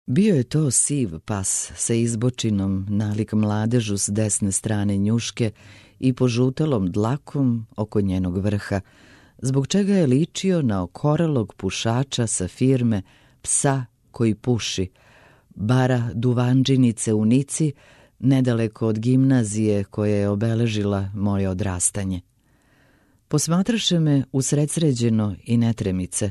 Bio je to siv pas sa izbočinom nalik mladežu s desne strane njuške i požutalom dlakom oko njenog vrha, zbog čega je ličio na okorelog pušača sa firme Psa koji puši, bara duvanđinice u Nici, nedaleko od gimnazije koja je obeležila moje odrastanje. Posmatraše me usredsređeno i netremice,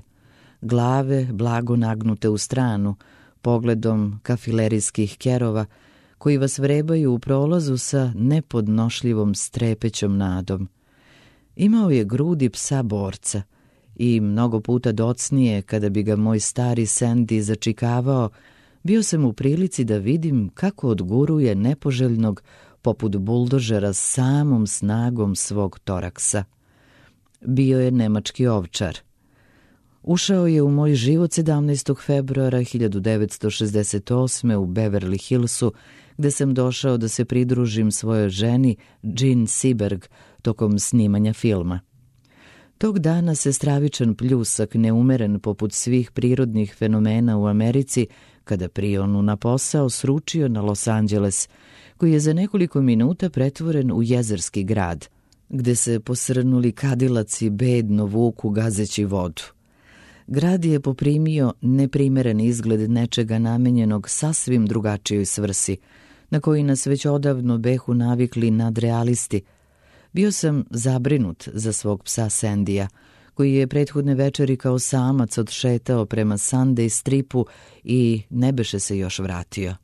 glave blago nagnute u stranu, pogledom kafilerijskih kerova koji vas vrebaju u prolazu sa nepodnošljivom strepećom nadom. Imao je grudi psa borca i mnogo puta docnije kada bi ga moj stari Sandy začikavao, bio sam u prilici da vidim kako odguruje nepoželjnog poput buldožera samom snagom svog toraksa. Bio je nemački ovčar. Ušao je u moj život 17. februara 1968. u Beverly Hillsu, gde sam došao da se pridružim svojoj ženi Jean Seberg tokom snimanja filma. Tog dana se stravičan pljusak, neumeren poput svih prirodnih fenomena u Americi, kada prionu na posao sručio na Los Angeles, koji je za nekoliko minuta pretvoren u jezerski grad, gde se posrnuli kadilaci bedno vuku gazeći vodu. Grad je poprimio neprimeren izgled nečega namenjenog sasvim drugačijoj svrsi, na koji nas već odavno behu navikli nadrealisti. Bio sam zabrinut za svog psa Sandija, koji je prethodne večeri kao samac odšetao prema Sunday stripu i ne beše se još vratio.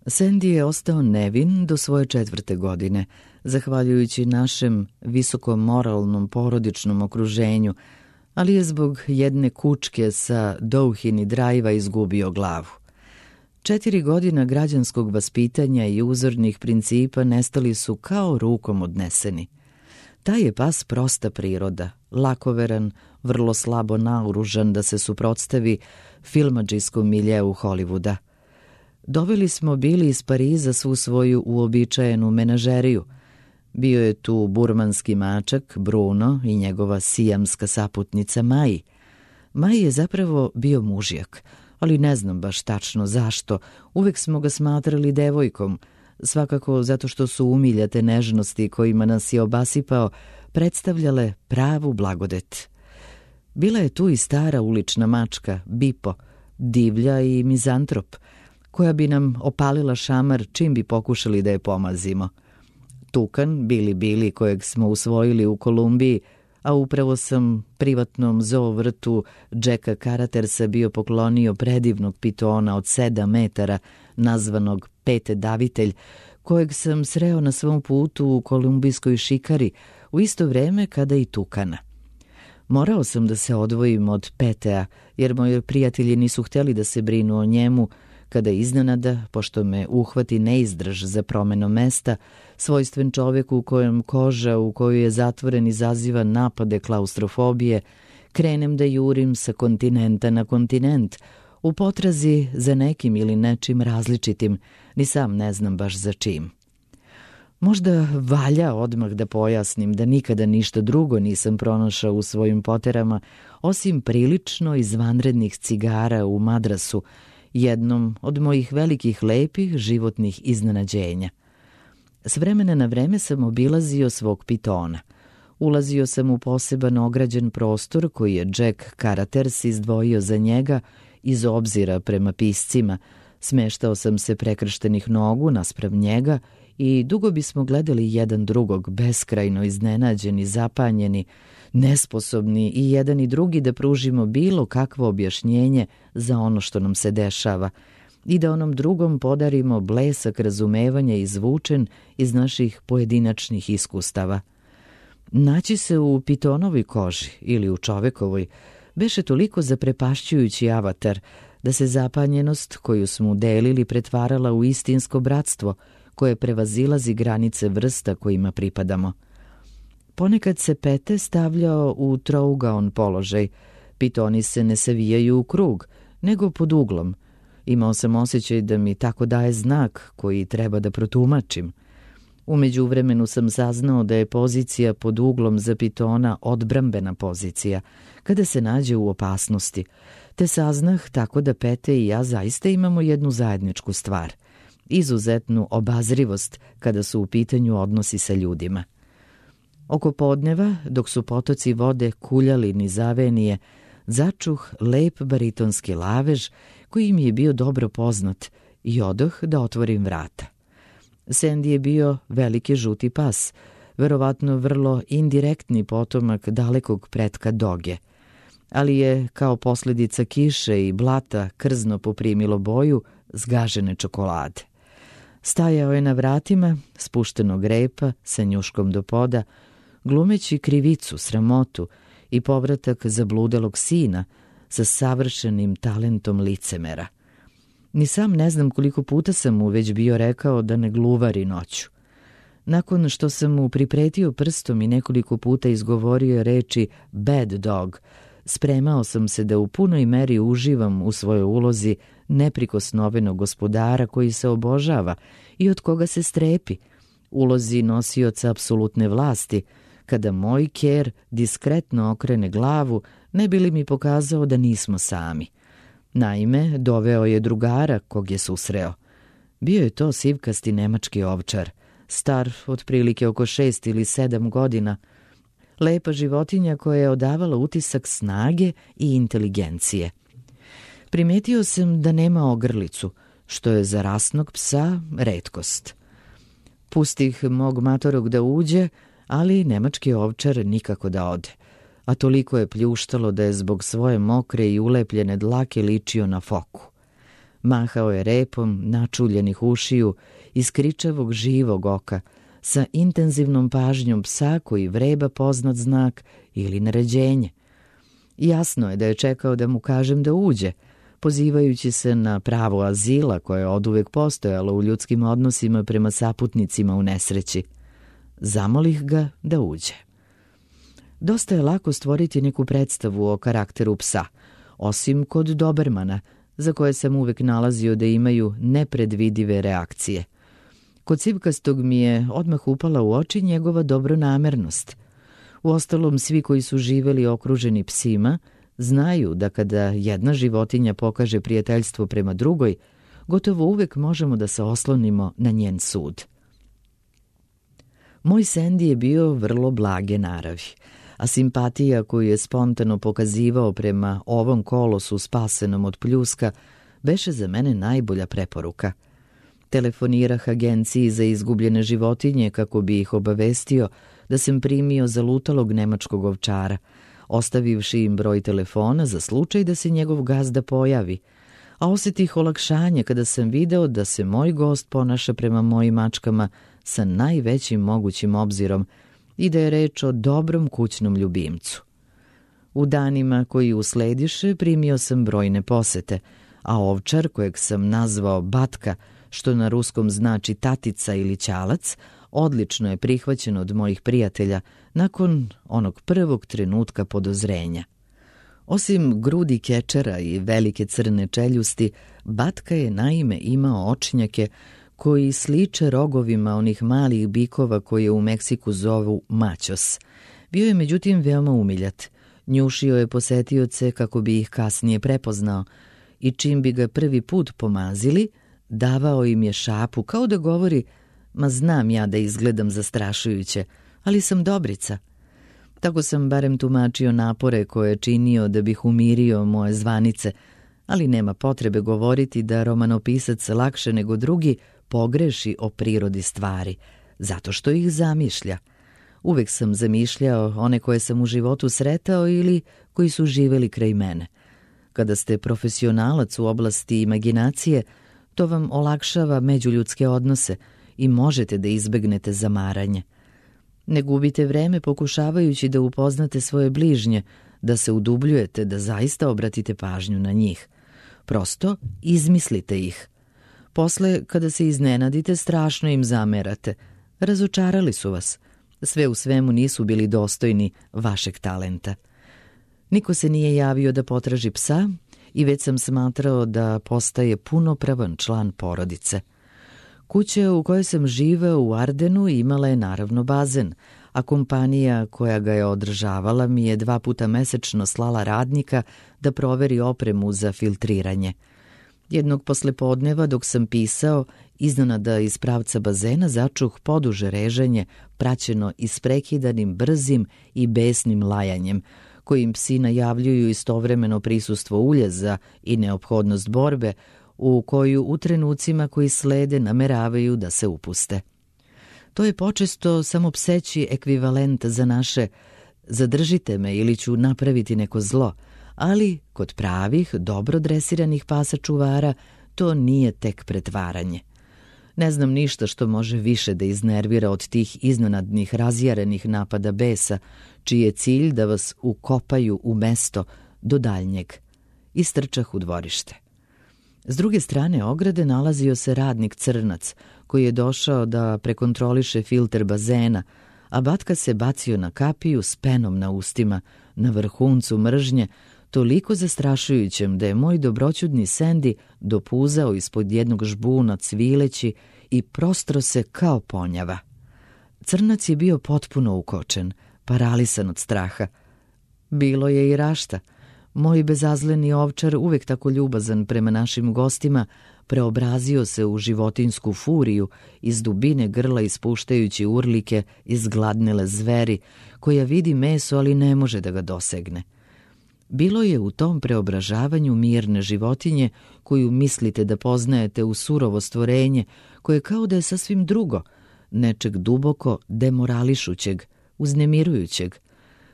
Sandy je ostao nevin do svoje 4. godine, zahvaljujući našem visokomoralnom porodičnom okruženju, ali je zbog jedne kučke sa Douhini Drive-a izgubio glavu. 4 godina građanskog vaspitanja i uzornih principa nestali su kao rukom odneseni. Taj je pas prosta priroda, lakoveran, vrlo slabo naoružan da se suprotstavi filmadžijskom miljeu Hollywooda. Doveli smo Bili iz Pariza svu svoju uobičajenu menažeriju. Bio je tu burmanski mačak Bruno i njegova sijamska saputnica Maji. Maji je zapravo bio mužjak, ali ne znam baš tačno zašto. Uvek smo ga smatrali devojkom, svakako zato što su umiljate nežnosti kojima nas je obasipao predstavljale pravu blagodet. Bila je tu i stara ulična mačka, Bipo, divlja i mizantrop, koja bi nam opalila šamar čim bi pokušali da je pomazimo. Tukan, Bili, kojeg smo usvojili u Kolumbiji, a upravo sam privatnom zoo vrtu Jacka Karatersa bio poklonio predivnog pitona od 7 metara, nazvanog Pete Davitelj, kojeg sam sreo na svom putu u kolumbijskoj šikari u isto vreme kada i Tukana. Morao sam da se odvojim od Petea, jer moji prijatelji nisu htjeli da se brinu o njemu, kada iznenada, pošto me uhvati neizdrž za promenu mesta, svojstven čoveku u kojem koža u kojoj je zatvoren izaziva napade klaustrofobije, krenem da jurim sa kontinenta na kontinent, u potrazi za nekim ili nečim različitim, ni sam ne znam baš za čim. Možda valja odmah da pojasnim da nikada ništa drugo nisam pronašao u svojim poterama, osim prilično izvanrednih cigara u Madrasu, jednom od mojih velikih lepih životnih iznenađenja. S vremena na vreme sam obilazio svog pitona. Ulazio sam u poseban ograđen prostor koji je Jack Karaters izdvojio za njega iz obzira prema piscima. Smeštao sam se prekrštenih nogu naspram njega i dugo bismo gledali jedan drugog, beskrajno iznenađeni, zapanjeni, nesposobni i jedan i drugi da pružimo bilo kakvo objašnjenje za ono što nam se dešava i da onom drugom podarimo blesak razumevanja izvučen iz naših pojedinačnih iskustava. Naći se u pitonovoj koži ili u čovekovoj beše toliko zaprepašćujući avatar da se zapanjenost koju smo delili pretvarala u istinsko bratstvo koje prevazilazi granice vrsta kojima pripadamo. Ponekad se Pete stavljao u trougaon položaj. Pitoni se ne savijaju u krug, nego pod uglom. Imao sam osjećaj da mi tako daje znak koji treba da protumačim. U međuvremenu sam saznao da je pozicija pod uglom za pitona odbrambena pozicija, kada se nađe u opasnosti. te saznah tako da Pete i ja zaista imamo jednu zajedničku stvar, izuzetnu obazrivost kada su u pitanju odnosi sa ljudima. Oko podneva, dok su potoci vode kuljali niz avenije, začuh lep baritonski lavež koji mi je bio dobro poznat i odoh da otvorim vrata. Sandy je bio veliki žuti pas, verovatno vrlo indirektni potomak dalekog pretka Doge, ali je kao posljedica kiše i blata krzno poprimilo boju zgažene čokolade. Stajao je na vratima spuštenog repa sa njuškom do poda, glumeći krivicu, sramotu i povratak zabludelog sina sa savršenim talentom licemera. Ni sam ne znam koliko puta sam mu već bio rekao da ne gluvari noću. Nakon što sam mu pripretio prstom i nekoliko puta izgovorio reči bad dog, spremao sam se da u punoj meri uživam u svojoj ulozi neprikosnovenog gospodara koji se obožava i od koga se strepi, ulozi nosioca apsolutne vlasti, kada moj ker diskretno okrene glavu, ne bi li mi pokazao da nismo sami. Naime, doveo je drugara kog je susreo. Bio je to sivkasti nemački ovčar, star otprilike oko 6 ili 7 godina, lepa životinja koja je odavala utisak snage i inteligencije. Primetio sam da nema ogrlicu, što je za rasnog psa retkost. Pustih mog matorog da uđe, ali nemački ovčar nikako da ode, a toliko je pljuštalo da je zbog svoje mokre i ulepljene dlake ličio na foku. Mahao je repom načuljenih ušiju iz kričavog živog oka, sa intenzivnom pažnjom psa koji vreba poznat znak ili naređenje. Jasno je da je čekao da mu kažem da uđe, pozivajući se na pravo azila koje je oduvek postojalo u ljudskim odnosima prema saputnicima u nesreći. Zamolih ga da uđe. Dosta je lako stvoriti neku predstavu o karakteru psa, osim kod dobermana, za koje sam uvek nalazio da imaju nepredvidive reakcije. Kod sivkastog mi je odmah upala u oči njegova dobronamernost. Uostalom, svi koji su živeli okruženi psima znaju da kada jedna životinja pokaže prijateljstvo prema drugoj, gotovo uvek možemo da se oslonimo na njen sud. Moj Sandy je bio vrlo blage naravi, a simpatija koju je spontano pokazivao prema ovom kolosu spasenom od pljuska beše za mene najbolja preporuka. Telefonirah agenciji za izgubljene životinje kako bi ih obavestio da sam primio zalutalog nemačkog ovčara, ostavivši im broj telefona za slučaj da se njegov gazda pojavi, a osjetih olakšanje kada sam video da se moj gost ponaša prema mojim mačkama sa najvećim mogućim obzirom i da je reč o dobrom kućnom ljubimcu. U danima koji uslediše primio sam brojne posete, a ovčar kojeg sam nazvao Batka, što na ruskom znači tatica ili ćalac, odlično je prihvaćen od mojih prijatelja nakon onog prvog trenutka podozrenja. Osim grudi kečera i velike crne čeljusti, Batka je naime imao očnjake koji sliče rogovima onih malih bikova koje u Meksiku zovu maćos. Bio je međutim veoma umiljat. Njušio je posetioce kako bi ih kasnije prepoznao i čim bi ga prvi put pomazili, davao im je šapu kao da govori: ma znam ja da izgledam zastrašujuće, ali sam dobrica. Tako sam barem tumačio napore koje je činio da bih umirio moje zvanice, ali nema potrebe govoriti da romanopisac lakše nego drugi pogreši o prirodi stvari, zato što ih zamišlja. Uvek sam zamišljao one koje sam u životu sretao ili koji su živeli kraj mene. Kada ste profesionalac u oblasti imaginacije, to vam olakšava međuljudske odnose i možete da izbegnete zamaranje. Ne gubite vreme pokušavajući da upoznate svoje bližnje, da se udubljujete, da zaista obratite pažnju na njih. Prosto izmislite ih. Posle, kada se iznenadite, strašno im zamerate. Razočarali su vas. Sve u svemu nisu bili dostojni vašeg talenta. Niko se nije javio da potraži psa i već sam smatrao da postaje punopravan član porodice. Kuća u kojoj sam živeo u Ardenu imala je naravno bazen, a kompanija koja ga je održavala mi je 2 puta mesečno slala radnika da proveri opremu za filtriranje. Jednog poslepodneva dok sam pisao, iznenada iz pravca bazena začuh poduže reženje praćeno isprekidanim, brzim i besnim lajanjem, kojim psi najavljuju istovremeno prisustvo uljeza i neophodnost borbe u koju u trenucima koji slede nameravaju da se upuste. To je počesto samo pseći ekvivalent za naše zadržite me ili ću napraviti neko zlo, ali kod pravih, dobro dresiranih pasa čuvara to nije tek pretvaranje. Ne znam ništa što može više da iznervira od tih iznenadnih razjarenih napada besa, čiji je cilj da vas ukopaju u mesto do daljnjeg. Istrčah u dvorište. S druge strane ograde nalazio se radnik Crnac, koji je došao da prekontroliše filter bazena, a Batka se bacio na kapiju s penom na ustima, na vrhuncu mržnje, toliko zastrašujućem da je moj dobroćudni Sendi dopuzao ispod jednog žbuna cvileći i prostro se kao ponjava. Crnac je bio potpuno ukočen, paralisan od straha. Bilo je i rašta. Moj bezazleni ovčar, uvek tako ljubazan prema našim gostima, preobrazio se u životinsku furiju, iz dubine grla ispuštajući urlike izgladnele zveri, koja vidi meso, ali ne može da ga dosegne. Bilo je u tom preobražavanju mirne životinje koju mislite da poznajete u surovo stvorenje, koje kao da je sasvim drugo, nečeg duboko demorališućeg, uznemirujućeg.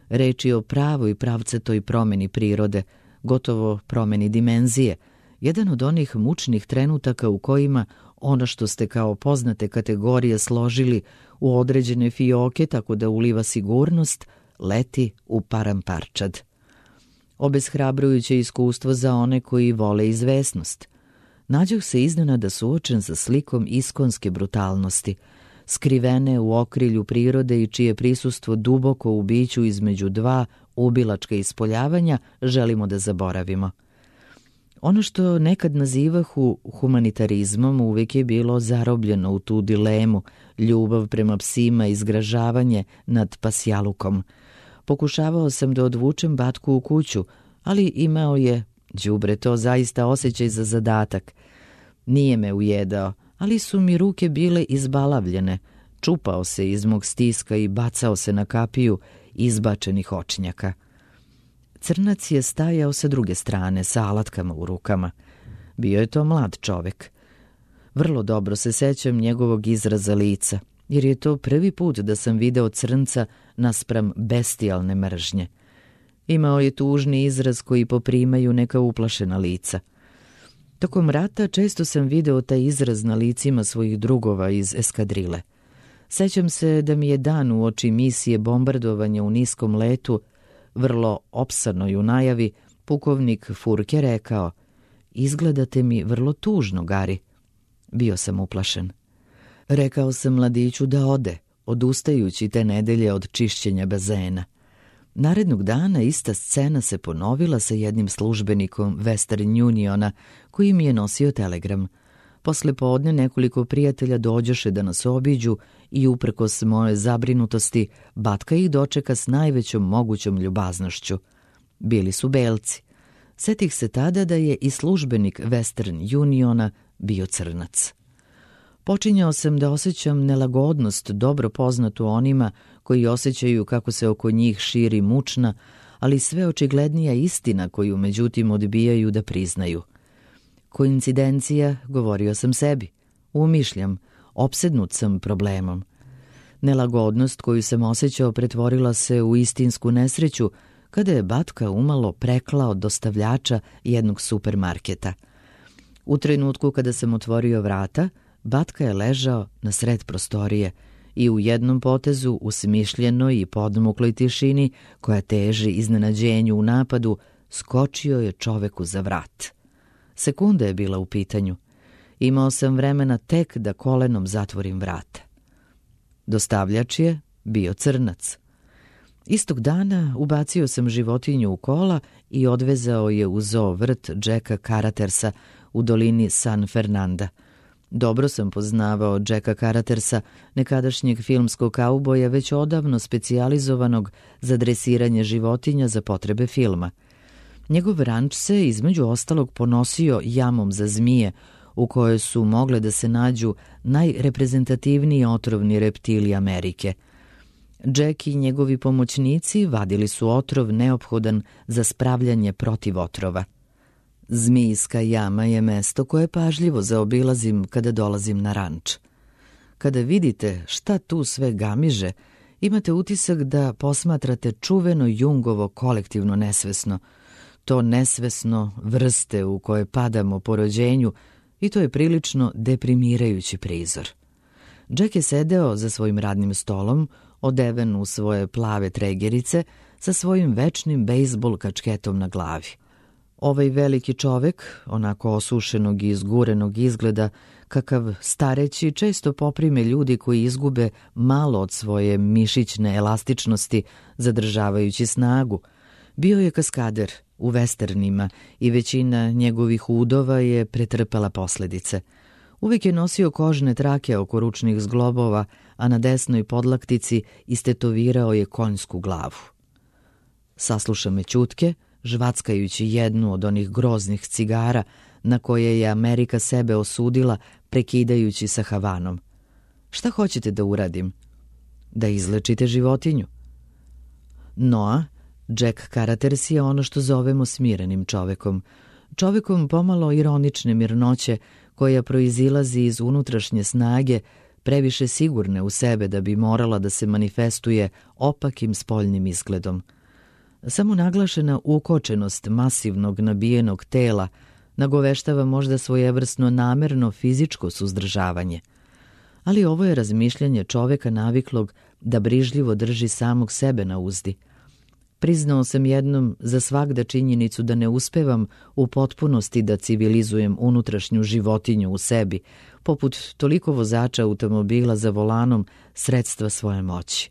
Reč je o pravoj pravcatoj promeni prirode, gotovo promeni dimenzije, jedan od onih mučnih trenutaka u kojima ono što ste kao poznate kategorije složili u određene fioke tako da uliva sigurnost, leti u paramparčad. Obeshrabrujuće iskustvo za one koji vole izvesnost. Nađoh se iznenada suočen sa slikom iskonske brutalnosti, skrivene u okrilju prirode i čije prisustvo duboko u biću između 2 ubilačka ispoljavanja želimo da zaboravimo. Ono što nekad nazivahu humanitarizmom uvijek je bilo zarobljeno u tu dilemu, ljubav prema psima i zgražavanje nad pasjalukom. Pokušavao sam da odvučem Batku u kuću, ali imao je, đubre, to zaista osjećaj za zadatak. Nije me ujedao, ali su mi ruke bile izbalavljene. Čupao se iz mog stiska i bacao se na kapiju izbačenih očnjaka. Crnac je stajao sa druge strane, sa alatkama u rukama. Bio je to mlad čovek. Vrlo dobro se sećam njegovog izraza lica, jer je to prvi put da sam video crnca naspram bestijalne mržnje. Imao je tužni izraz koji poprimaju neka uplašena lica. Tokom rata često sam video taj izraz na licima svojih drugova iz eskadrile. Sećam se da mi je dan uoči misije bombardovanja u niskom letu, vrlo opsanoj u najavi, pukovnik Furke rekao: "Izgledate mi vrlo tužno, Gari." Bio sam uplašen. Rekao sam mladiću da ode, odustajući te nedelje od čišćenja bazena. Narednog dana ista scena se ponovila sa jednim službenikom Western Uniona koji mi je nosio telegram. Posle podne nekoliko prijatelja dođoše da nas obiđu i uprkos moje zabrinutosti Batka ih dočeka s najvećom mogućom ljubaznošću. Bili su belci. Setih se tada da je i službenik Western Uniona bio crnac. Počinjao sam da osjećam nelagodnost dobro poznatu onima koji osjećaju kako se oko njih širi mučna, ali sve očiglednija istina koju međutim odbijaju da priznaju. Koincidencija, govorio sam sebi. Umišljam, opsednut sam problemom. Nelagodnost koju sam osjećao pretvorila se u istinsku nesreću kada je Batka umalo preklao dostavljača jednog supermarketa. U trenutku kada sam otvorio vrata, Batka je ležao na sred prostorije i u jednom potezu, u smišljenoj i podmukloj tišini koja teži iznenađenju u napadu, skočio je čoveku za vrat. Sekunda je bila u pitanju. Imao sam vremena tek da kolenom zatvorim vrata. Dostavljač je bio crnac. Istog dana ubacio sam životinju u kola i odvezao je u zoo vrt Jacka Karatersa u dolini San Fernanda. Dobro sam poznavao Jacka Caratersa, nekadašnjeg filmskog kauboja, već odavno specijalizovanog za dresiranje životinja za potrebe filma. Njegov ranč se, između ostalog, ponosio jamom za zmije, u kojoj su mogle da se nađu najreprezentativniji otrovni reptili Amerike. Jack i njegovi pomoćnici vadili su otrov neophodan za spravljanje protiv otrova. Zmijska jama je mesto koje pažljivo zaobilazim kada dolazim na ranč. Kada vidite šta tu sve gamiže, imate utisak da posmatrate čuveno Jungovo kolektivno nesvesno, to nesvesno vrste u koje padamo po rođenju, i to je prilično deprimirajući prizor. Jack je sedeo za svojim radnim stolom, odeven u svoje plave tregerice, sa svojim večnim bejsbol kačketom na glavi. Ovaj veliki čovek, onako osušenog i izgurenog izgleda, kakav stareći često poprime ljudi koji izgube malo od svoje mišićne elastičnosti, zadržavajući snagu, bio je kaskader u vesternima i većina njegovih udova je pretrpela posledice. Uvijek je nosio kožne trake oko ručnih zglobova, a na desnoj podlaktici istetovirao je konjsku glavu. Sasluša me ćutke, žvackajući jednu od onih groznih cigara na koje je Amerika sebe osudila, prekidajući sa Havanom. Šta hoćete da uradim? Da izlečite životinju? Noa, Jack Caraters je ono što zovemo smirenim čovekom. Čovekom pomalo ironične mirnoće koja proizilazi iz unutrašnje snage, previše sigurne u sebe da bi morala da se manifestuje opakim spoljnim izgledom. Samo naglašena ukočenost masivnog nabijenog tela nagoveštava možda svojevrsno namerno fizičko suzdržavanje. Ali ovo je razmišljanje čoveka naviklog da brižljivo drži samog sebe na uzdi. Priznao sam jednom za svagda činjenicu da ne uspevam u potpunosti da civilizujem unutrašnju životinju u sebi, poput toliko vozača automobila za volanom sredstva svoje moći.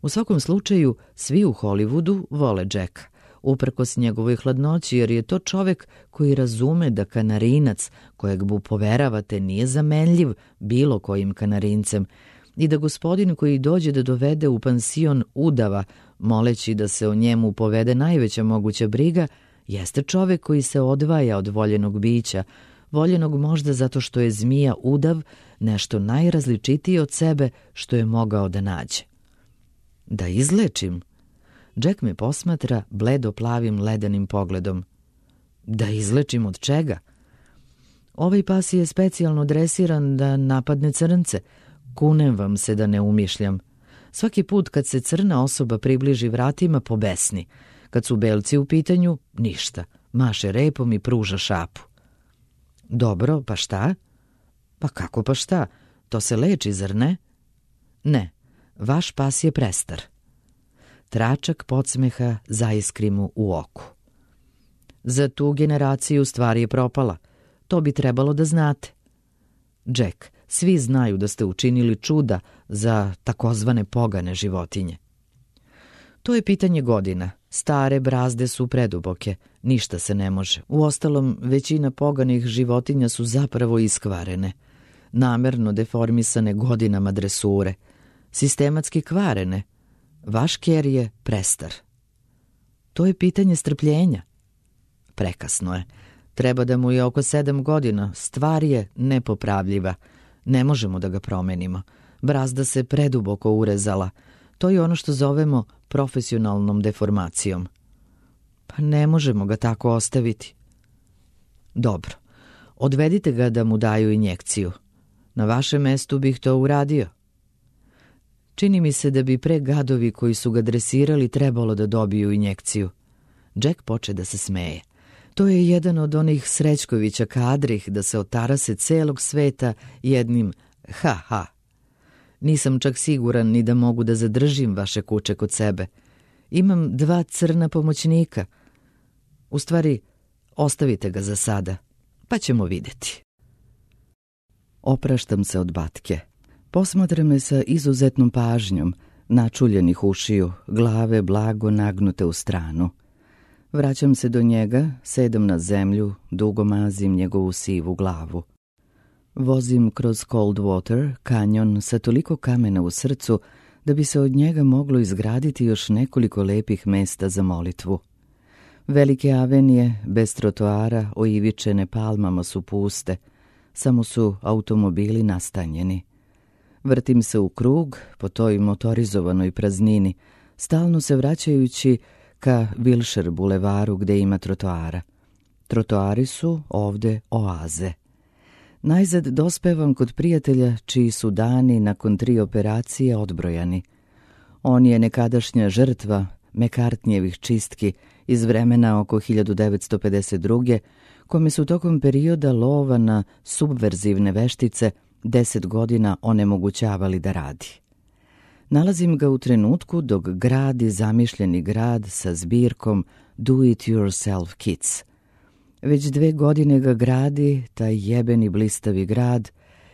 U svakom slučaju, svi u Hollywoodu vole Jacka, uprkos njegovoj hladnoći, jer je to čovek koji razume da kanarinac kojeg mu poveravate nije zamenljiv bilo kojim kanarincem i da gospodin koji dođe da dovede u pansion udava, moleći da se o njemu povede najveća moguća briga, jeste čovek koji se odvaja od voljenog bića, voljenog možda zato što je zmija udav nešto najrazličitije od sebe što je mogao da nađe. Da izlečim? Jack me posmatra bledo plavim ledenim pogledom. Da izlečim od čega? Ovaj pas je specijalno dresiran da napadne crnce. Kunem vam se da ne umišljam. Svaki put kad se crna osoba približi vratima, pobesni. Kad su belci u pitanju, ništa. Maše repom i pruža šapu. Dobro, pa šta? Pa kako pa šta? To se leči, zar ne? Ne, vaš pas je prestar. Tračak podsmeha zaiskri mu u oku. Za tu generaciju stvar je propala. To bi trebalo da znate. Jack, svi znaju da ste učinili čuda za takozvane pogane životinje. To je pitanje godina. Stare brazde su preduboke. Ništa se ne može. Uostalom, većina poganih životinja su zapravo iskvarene. Namerno deformisane godinama dresure. Sistematski kvarene. Vaš ker je prestar. To je pitanje strpljenja. Prekasno je. Treba da mu je oko 7 godina. Stvar je nepopravljiva. Ne možemo da ga promenimo. Brazda se preduboko urezala. To je ono što zovemo profesionalnom deformacijom. Pa ne možemo ga tako ostaviti. Dobro. Odvedite ga da mu daju injekciju. Na vašem mestu bih to uradio. Čini mi se da bi pre gadovi koji su ga dresirali trebalo da dobiju injekciju. Jack poče da se smeje. To je jedan od onih Srećkovića kadrih da se otarase celog sveta jednim ha-ha. Nisam čak siguran ni da mogu da zadržim vaše kuće kod sebe. Imam 2 crna pomoćnika. U stvari, ostavite ga za sada, pa ćemo vidjeti. Opraštam se od Batke. Posmatra me sa izuzetnom pažnjom, načuljenih ušiju, glave blago nagnute u stranu. Vraćam se do njega, sedam na zemlju, dugo mazim njegovu sivu glavu. Vozim kroz Coldwater, kanjon sa toliko kamena u srcu da bi se od njega moglo izgraditi još nekoliko lepih mesta za molitvu. Velike avenije, bez trotoara, oivičene palmama su puste, samo su automobili nastanjeni. Vrtim se u krug po toj motorizovanoj praznini, stalno se vraćajući ka Wilshire bulevaru gde ima trotoara. Trotoari su ovde oaze. Najzad dospevam kod prijatelja čiji su dani nakon 3 operacije odbrojani. On je nekadašnja žrtva McCartneyjevih čistki iz vremena oko 1952. kome su tokom perioda lova na subverzivne veštice 10 godina onemogućavali da radi. Nalazim ga u trenutku dok gradi zamišljeni grad sa zbirkom Do-it-yourself kits. Već 2 godine ga gradi taj jebeni blistavi grad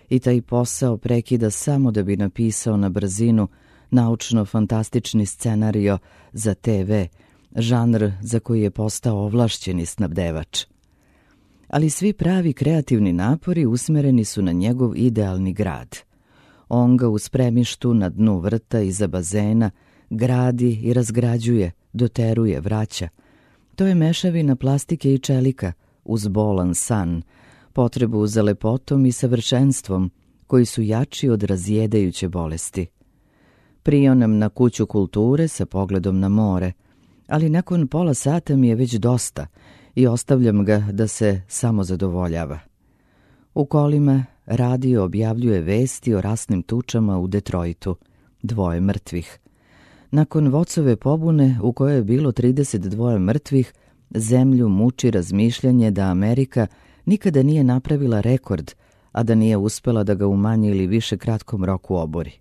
i taj posao prekida samo da bi napisao na brzinu naučno-fantastični scenario za TV, žanr za koji je postao ovlašćeni snabdevač. Ali svi pravi kreativni napori usmereni su na njegov idealni grad. On ga u spremištu na dnu vrta iza bazena gradi i razgrađuje, doteruje, vraća. To je mešavina plastike i čelika, uz bolan san, potrebu za lepotom i savršenstvom, koji su jači od razjedajuće bolesti. Prionam na kuću kulture sa pogledom na more, ali nakon pola sata mi je već dosta i ostavljam ga da se samo zadovoljava. U kolima radio objavljuje vesti o rasnim tučama u Detroitu, 2 mrtvih. Nakon Vocove pobune u kojoj je bilo 32 mrtvih, zemlju muči razmišljanje da Amerika nikada nije napravila rekord, a da nije uspela da ga u manje ili više kratkom roku obori.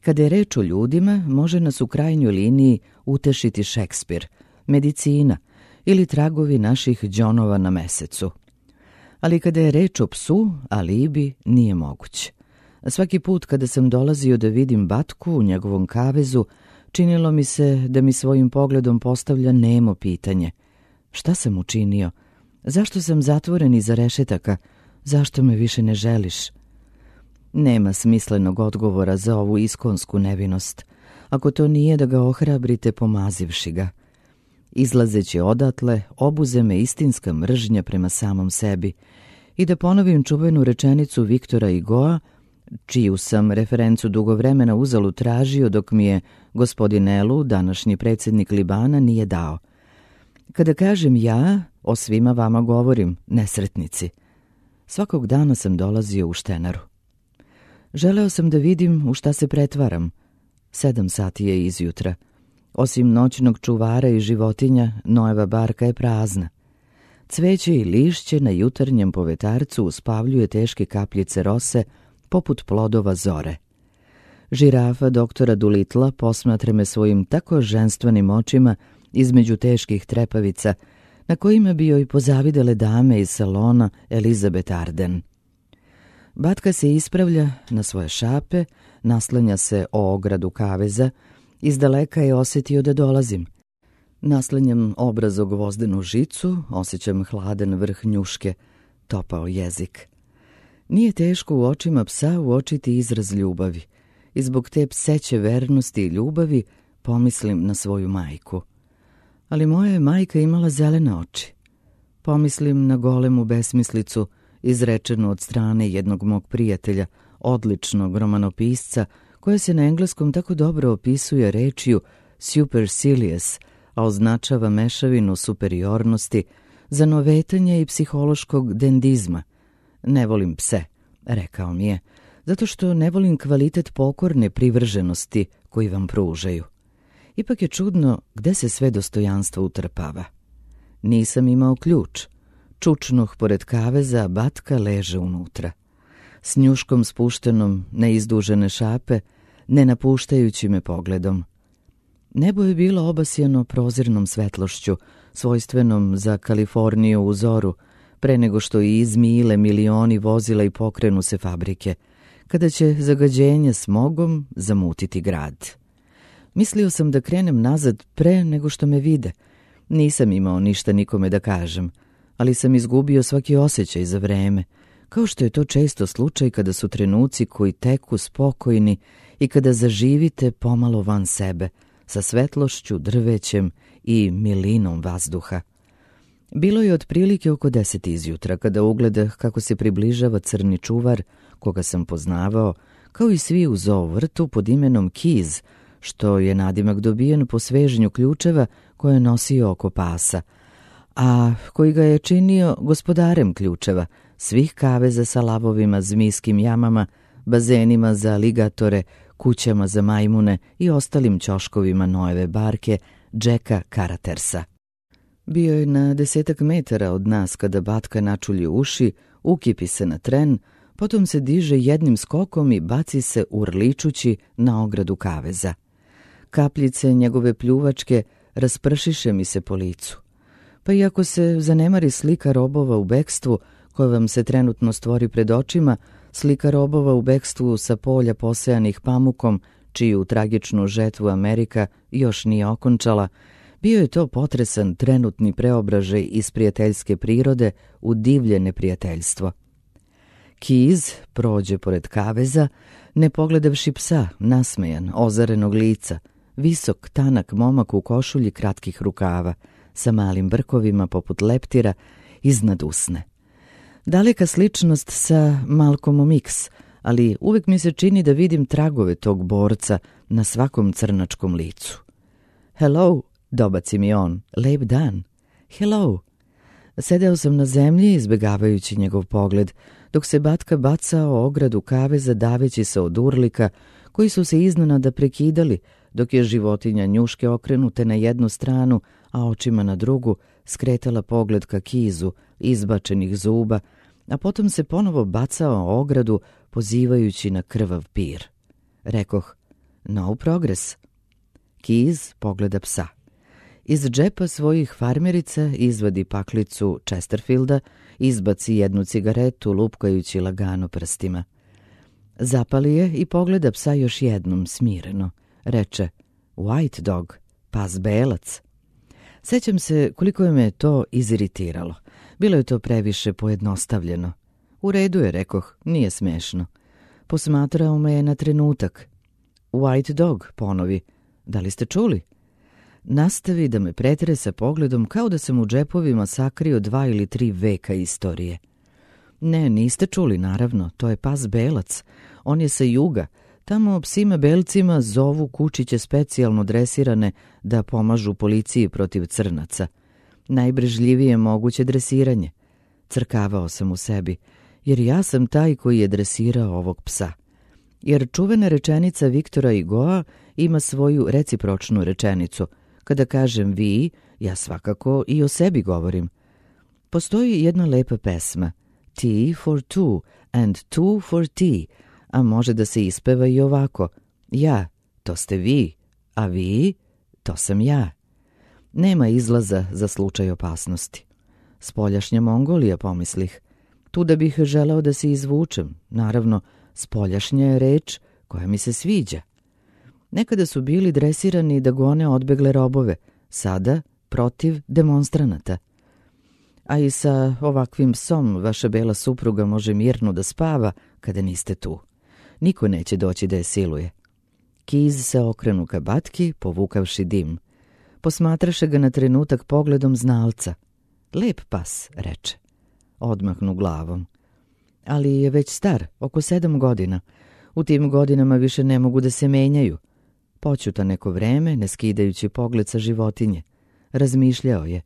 Kada je reč o ljudima, može nas u krajnjoj liniji utešiti Šekspir, medicina ili tragovi naših đonova na mesecu. Ali kada je reč o psu, alibi nije moguć. Svaki put kada sam dolazio da vidim Batku u njegovom kavezu, činilo mi se da mi svojim pogledom postavlja nemo pitanje. Šta sam učinio? Zašto sam zatvoren iza rešetaka? Zašto me više ne želiš? Nema smislenog odgovora za ovu iskonsku nevinost, ako to nije da ga ohrabrite pomazivši ga. Izlazeći odatle, obuze me istinska mržnja prema samom sebi i da ponovim čuvenu rečenicu Viktora Hugoa, čiju sam referencu dugo vremena uzalud tražio dok mi je gospodin Elu, današnji predsjednik Libana, nije dao. Kada kažem ja, o svima vama govorim, nesretnici. Svakog dana sam dolazio u Štenaru. Želeo sam da vidim u šta se pretvaram. 7 sati je izjutra. Osim noćnog čuvara i životinja, Noeva barka je prazna. Cveće i lišće na jutarnjem povetarcu uspavljuje teške kapljice rose poput plodova zore. Žirafa doktora Dulitla posmatra me svojim tako ženstvenim očima između teških trepavica, na kojima bi joj pozavidele dame iz salona Elizabeth Arden. Batka se ispravlja na svoje šape, naslanja se o ogradu kaveza, izdaleka je osjetio da dolazim. Naslanjam obraz o gvozdenu žicu, osjećam hladan vrh njuške, topao jezik. Nije teško u očima psa uočiti izraz ljubavi i zbog te pseće vernosti i ljubavi pomislim na svoju majku. Ali moja je majka imala zelene oči. Pomislim na golemu besmislicu izrečenu od strane jednog mog prijatelja, odličnog romanopisca, koja se na engleskom tako dobro opisuje rečju supercilious, a označava mešavinu superiornosti, zanovetanja i psihološkog dendizma. Ne volim pse, rekao mi je, zato što ne volim kvalitet pokorne privrženosti koji vam pružaju. Ipak je čudno gde se sve dostojanstvo utrpava. Nisam imao ključ. Čučnuh pored kaveza, Batka leže unutra. S njuškom spuštenom na izdužene šape, ne napuštajući me pogledom. Nebo je bilo obasjano prozirnom svetlošću, svojstvenom za Kaliforniju u zoru, pre nego što i izmile milioni vozila i pokrenu se fabrike, kada će zagađenje smogom zamutiti grad. Mislio sam da krenem nazad pre nego što me vide. Nisam imao ništa nikome da kažem, ali sam izgubio svaki osjećaj za vreme, kao što je to često slučaj kada su trenuci koji teku spokojni i kada zaživite pomalo van sebe, sa svetlošću, drvećem i milinom vazduha. Bilo je otprilike oko 10 izjutra kada ugledah kako se približava crni čuvar, koga sam poznavao, kao i svi u zoo vrtu pod imenom Keys, što je nadimak dobijen po sveženju ključeva koje je nosio oko pasa, a koji ga je činio gospodarem ključeva, svih kaveza sa lavovima, zmijskim jamama, bazenima za aligatore, kućama za majmune i ostalim ćoškovima Noeve barke Jacka Karatersa. Bio je na 10 metara od nas kada Batka načulji uši, ukipi se na tren, potom se diže jednim skokom i baci se urličući na ogradu kaveza. Kapljice njegove pljuvačke raspršiše mi se po licu. Pa iako se zanemari slika robova u bekstvu, koja vam se trenutno stvori pred očima, slika robova u bekstvu sa polja posejanih pamukom, čiju tragičnu žetvu Amerika još nije okončala, bio je to potresan trenutni preobražaj iz prijateljske prirode u divlje neprijateljstvo. Keys prođe pored kaveza, ne pogledavši psa, nasmejan, ozarenog lica, visok, tanak momak u košulji kratkih rukava, sa malim brkovima poput leptira iznad usne. Daleka sličnost sa Malcolmom X, ali uvek mi se čini da vidim tragove tog borca na svakom crnačkom licu. Hello, dobaci mi on, lep dan. Hello. Sedeo sam na zemlji izbegavajući njegov pogled, dok se Batka bacao o ogradu kaveza daveći se od urlika koji su se iznenada prekidali, dok je životinja njuške okrenute na jednu stranu, a očima na drugu skretala pogled ka Kizu, izbačenih zuba, a potom se ponovo bacao o ogradu pozivajući na krvav pir. Rekoh, no progress. Keys pogleda psa. Iz džepa svojih farmerica izvadi paklicu Chesterfielda, izbaci jednu cigaretu lupkajući lagano prstima. Zapali je i pogleda psa još jednom smireno. Reče, white dog, pas belac. Sećam se koliko je me to iziritiralo. Bilo je to previše pojednostavljeno. U redu je, rekoh, nije smešno. Posmatrao me je na trenutak. White dog, ponovi. Da li ste čuli? Nastavi da me pretresa pogledom kao da sam u džepovima sakrio 2 ili 3 veka istorije. Ne, niste čuli, naravno, to je pas belac. On je sa juga. Tamo psima belcima zovu kučiće specijalno dresirane da pomažu policiji protiv crnaca. Najbrežljivije moguće dresiranje. Crkavao sam u sebi, jer ja sam taj koji je dresirao ovog psa. Jer čuvena rečenica Viktora Hugoa ima svoju recipročnu rečenicu. Kada kažem vi, ja svakako i o sebi govorim. Postoji jedna lepa pesma, Tea for two and two for tea, a može da se ispeva i ovako. Ja, to ste vi, a vi, to sam ja. Nema izlaza za slučaj opasnosti. Spoljašnja Mongolija, pomislih. Tu da bih želeo da se izvučem. Naravno, spoljašnja je reč koja mi se sviđa. Nekada su bili dresirani da gone odbegle robove, sada protiv demonstranata. A i sa ovakvim psom vaša bela supruga može mirno da spava kada niste tu. Niko neće doći da je siluje. Keys se okrenu ka Batki, povukavši dim. Posmatraše ga na trenutak pogledom znalca. Lep pas, reče. Odmahnu glavom. Ali je već star, oko 7 godina. U tim godinama više ne mogu da se menjaju. Poćuta neko vreme, ne skidajući pogled sa životinje. Razmišljao je.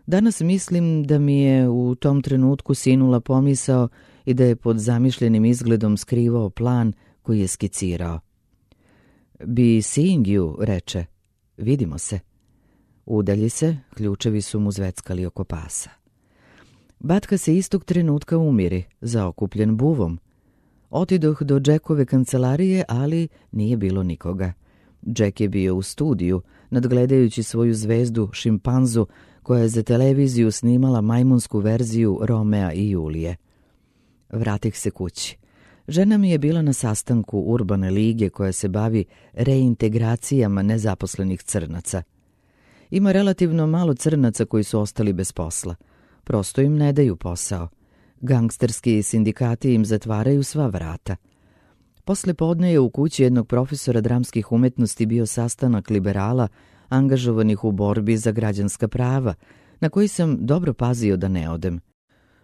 Danas mislim da mi je u tom trenutku sinula pomisao i da je pod zamišljenim izgledom skrivao plan koji je skicirao. Be seeing you, reče. Vidimo se. Udalji se, ključevi su mu zveckali oko pasa. Batka se istog trenutka umiri, zaokupljen buvom. Otidoh do Jackove kancelarije, ali nije bilo nikoga. Jack je bio u studiju, nadgledajući svoju zvezdu šimpanzu, koja je za televiziju snimala majmunsku verziju Romea i Julije. Vratih se kući. Žena mi je bila na sastanku Urbane lige koja se bavi reintegracijama nezaposlenih crnaca. Ima relativno malo crnaca koji su ostali bez posla. Prosto im ne daju posao. Gangsterski sindikati im zatvaraju sva vrata. Posle podne je u kući jednog profesora dramskih umetnosti bio sastanak liberala angažovanih u borbi za građanska prava, na koji sam dobro pazio da ne odem.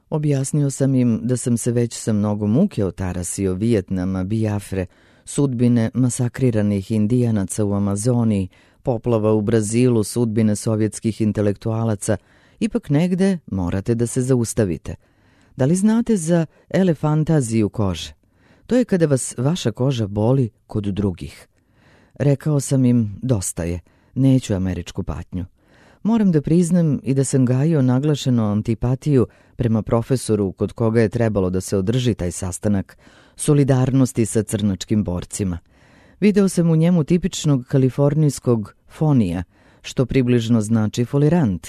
Objasnio sam im da sam se već sa mnogo muke otarasio Vijetnama, Biafre, sudbine masakriranih Indijanaca u Amazoniji, poplava u Brazilu, sudbine sovjetskih intelektualaca. Ipak negde morate da se zaustavite. Da li znate za elefantaziju kože? To je kada vas vaša koža boli kod drugih. Rekao sam im, dosta je, neću američku patnju. Moram da priznam i da sam gajio naglašenu antipatiju prema profesoru kod koga je trebalo da se održi taj sastanak, solidarnosti sa crnačkim borcima. Video sam u njemu tipičnog kalifornijskog fonija, što približno znači folirant.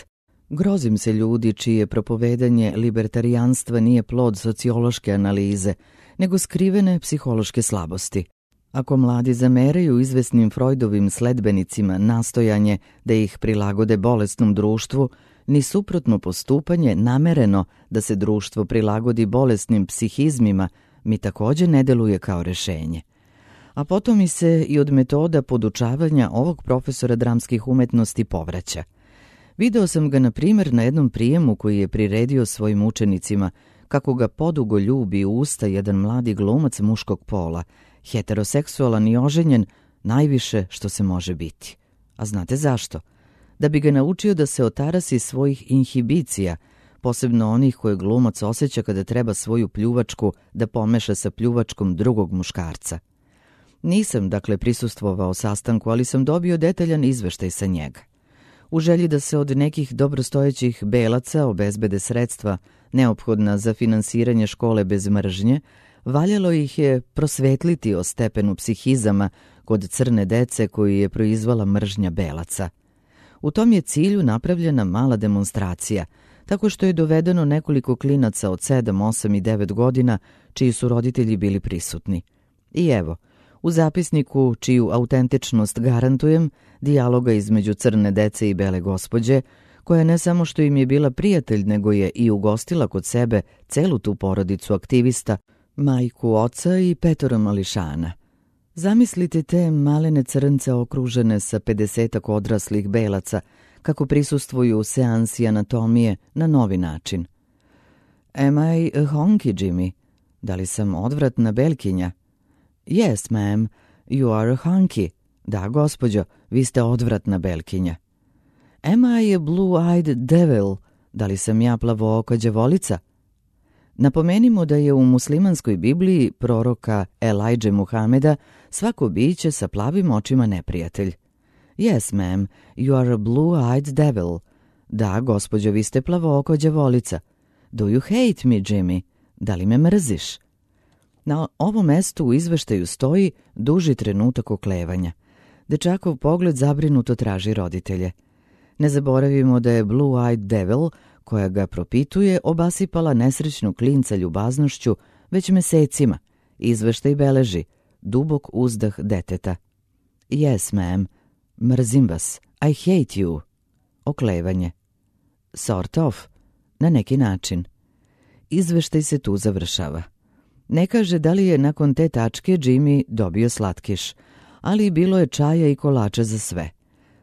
Grozim se ljudi čije propovedanje libertarijanstva nije plod sociološke analize, nego skrivene psihološke slabosti. Ako mladi zameraju izvesnim Freudovim sledbenicima nastojanje da ih prilagode bolesnom društvu, ni suprotno postupanje namereno da se društvo prilagodi bolesnim psihizmima mi također ne deluje kao rešenje. A potom mi se i od metoda podučavanja ovog profesora dramskih umetnosti povraća. Video sam ga, na primjer, na jednom prijemu koji je priredio svojim učenicima, kako ga podugo ljubi u usta jedan mladi glumac muškog pola, heteroseksualan i oženjen, najviše što se može biti. A znate zašto? Da bi ga naučio da se otarasi svojih inhibicija, posebno onih koje glumac osjeća kada treba svoju pljuvačku da pomeša sa pljuvačkom drugog muškarca. Nisam, dakle, prisustvovao sastanku, ali sam dobio detaljan izveštaj sa njega. U želji da se od nekih dobrostojećih belaca obezbede sredstva neophodna za finansiranje škole bez mržnje, valjalo ih je prosvetliti o stepenu psihizama kod crne dece koju je proizvala mržnja belaca. U tom je cilju napravljena mala demonstracija, tako što je dovedeno nekoliko klinaca od 7, 8 i 9 godina, čiji su roditelji bili prisutni. I evo, u zapisniku, čiju autentičnost garantujem, dijaloga između crne dece i bele gospođe, koja ne samo što im je bila prijatelj, nego je i ugostila kod sebe celu tu porodicu aktivista, majku, oca i 5 mališana. Zamislite te malene crnce okružene sa 50 odraslih belaca, kako prisustvuju u seansi anatomije na novi način. Am I a honky, Jimmy? Da li sam odvratna belkinja? Yes, ma'am, you are a honky. Da, gospođo, vi ste odvratna belkinja. Am I a blue-eyed devil? Da li sam ja plavooka đavolica? Napomenimo da je u muslimanskoj Bibliji proroka Elajđe Muhameda svako biće sa plavim očima neprijatelj. Yes, ma'am, you are a blue-eyed devil. Da, gospođo, vi ste plavooko đavolica. Do you hate me, Jimmy? Da li me mrziš? Na ovom mestu u izveštaju stoji duži trenutak oklevanja. Dečakov pogled zabrinuto traži roditelje. Ne zaboravimo da je blue-eyed devil, koja ga propituje, obasipala nesrećnu klinca ljubaznošću već mesecima. Izveštaj beleži dubok uzdah deteta. Yes, ma'am, mrzim vas, I hate you. Oklevanje. Sort of, na neki način. Izveštaj se tu završava. Ne kaže da li je nakon te tačke Jimmy dobio slatkiš, ali bilo je čaja i kolača za sve.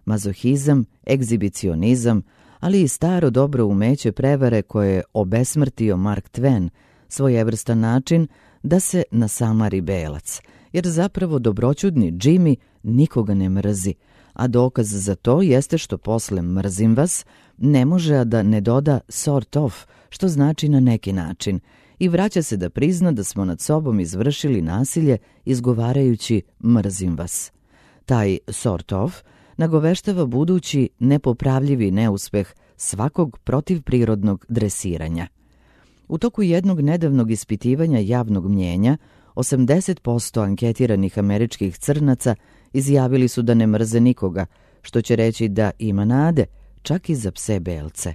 Mazohizam, egzibicionizam, ali i staro dobro umeće prevare koje je obesmrtio Mark Twain, svojevrstan način da se nasamari belac, jer zapravo dobroćudni Jimmy nikoga ne mrzi, a dokaz za to jeste što posle mrzim vas ne može a da ne doda sort of, što znači na neki način, i vraća se da prizna da smo nad sobom izvršili nasilje izgovarajući mrzim vas. Taj sort of nagoveštava budući nepopravljivi neuspeh svakog protivprirodnog dresiranja. U toku jednog nedavnog ispitivanja javnog mnjenja, 80% anketiranih američkih crnaca izjavili su da ne mrze nikoga, što će reći da ima nade, čak i za pse belce.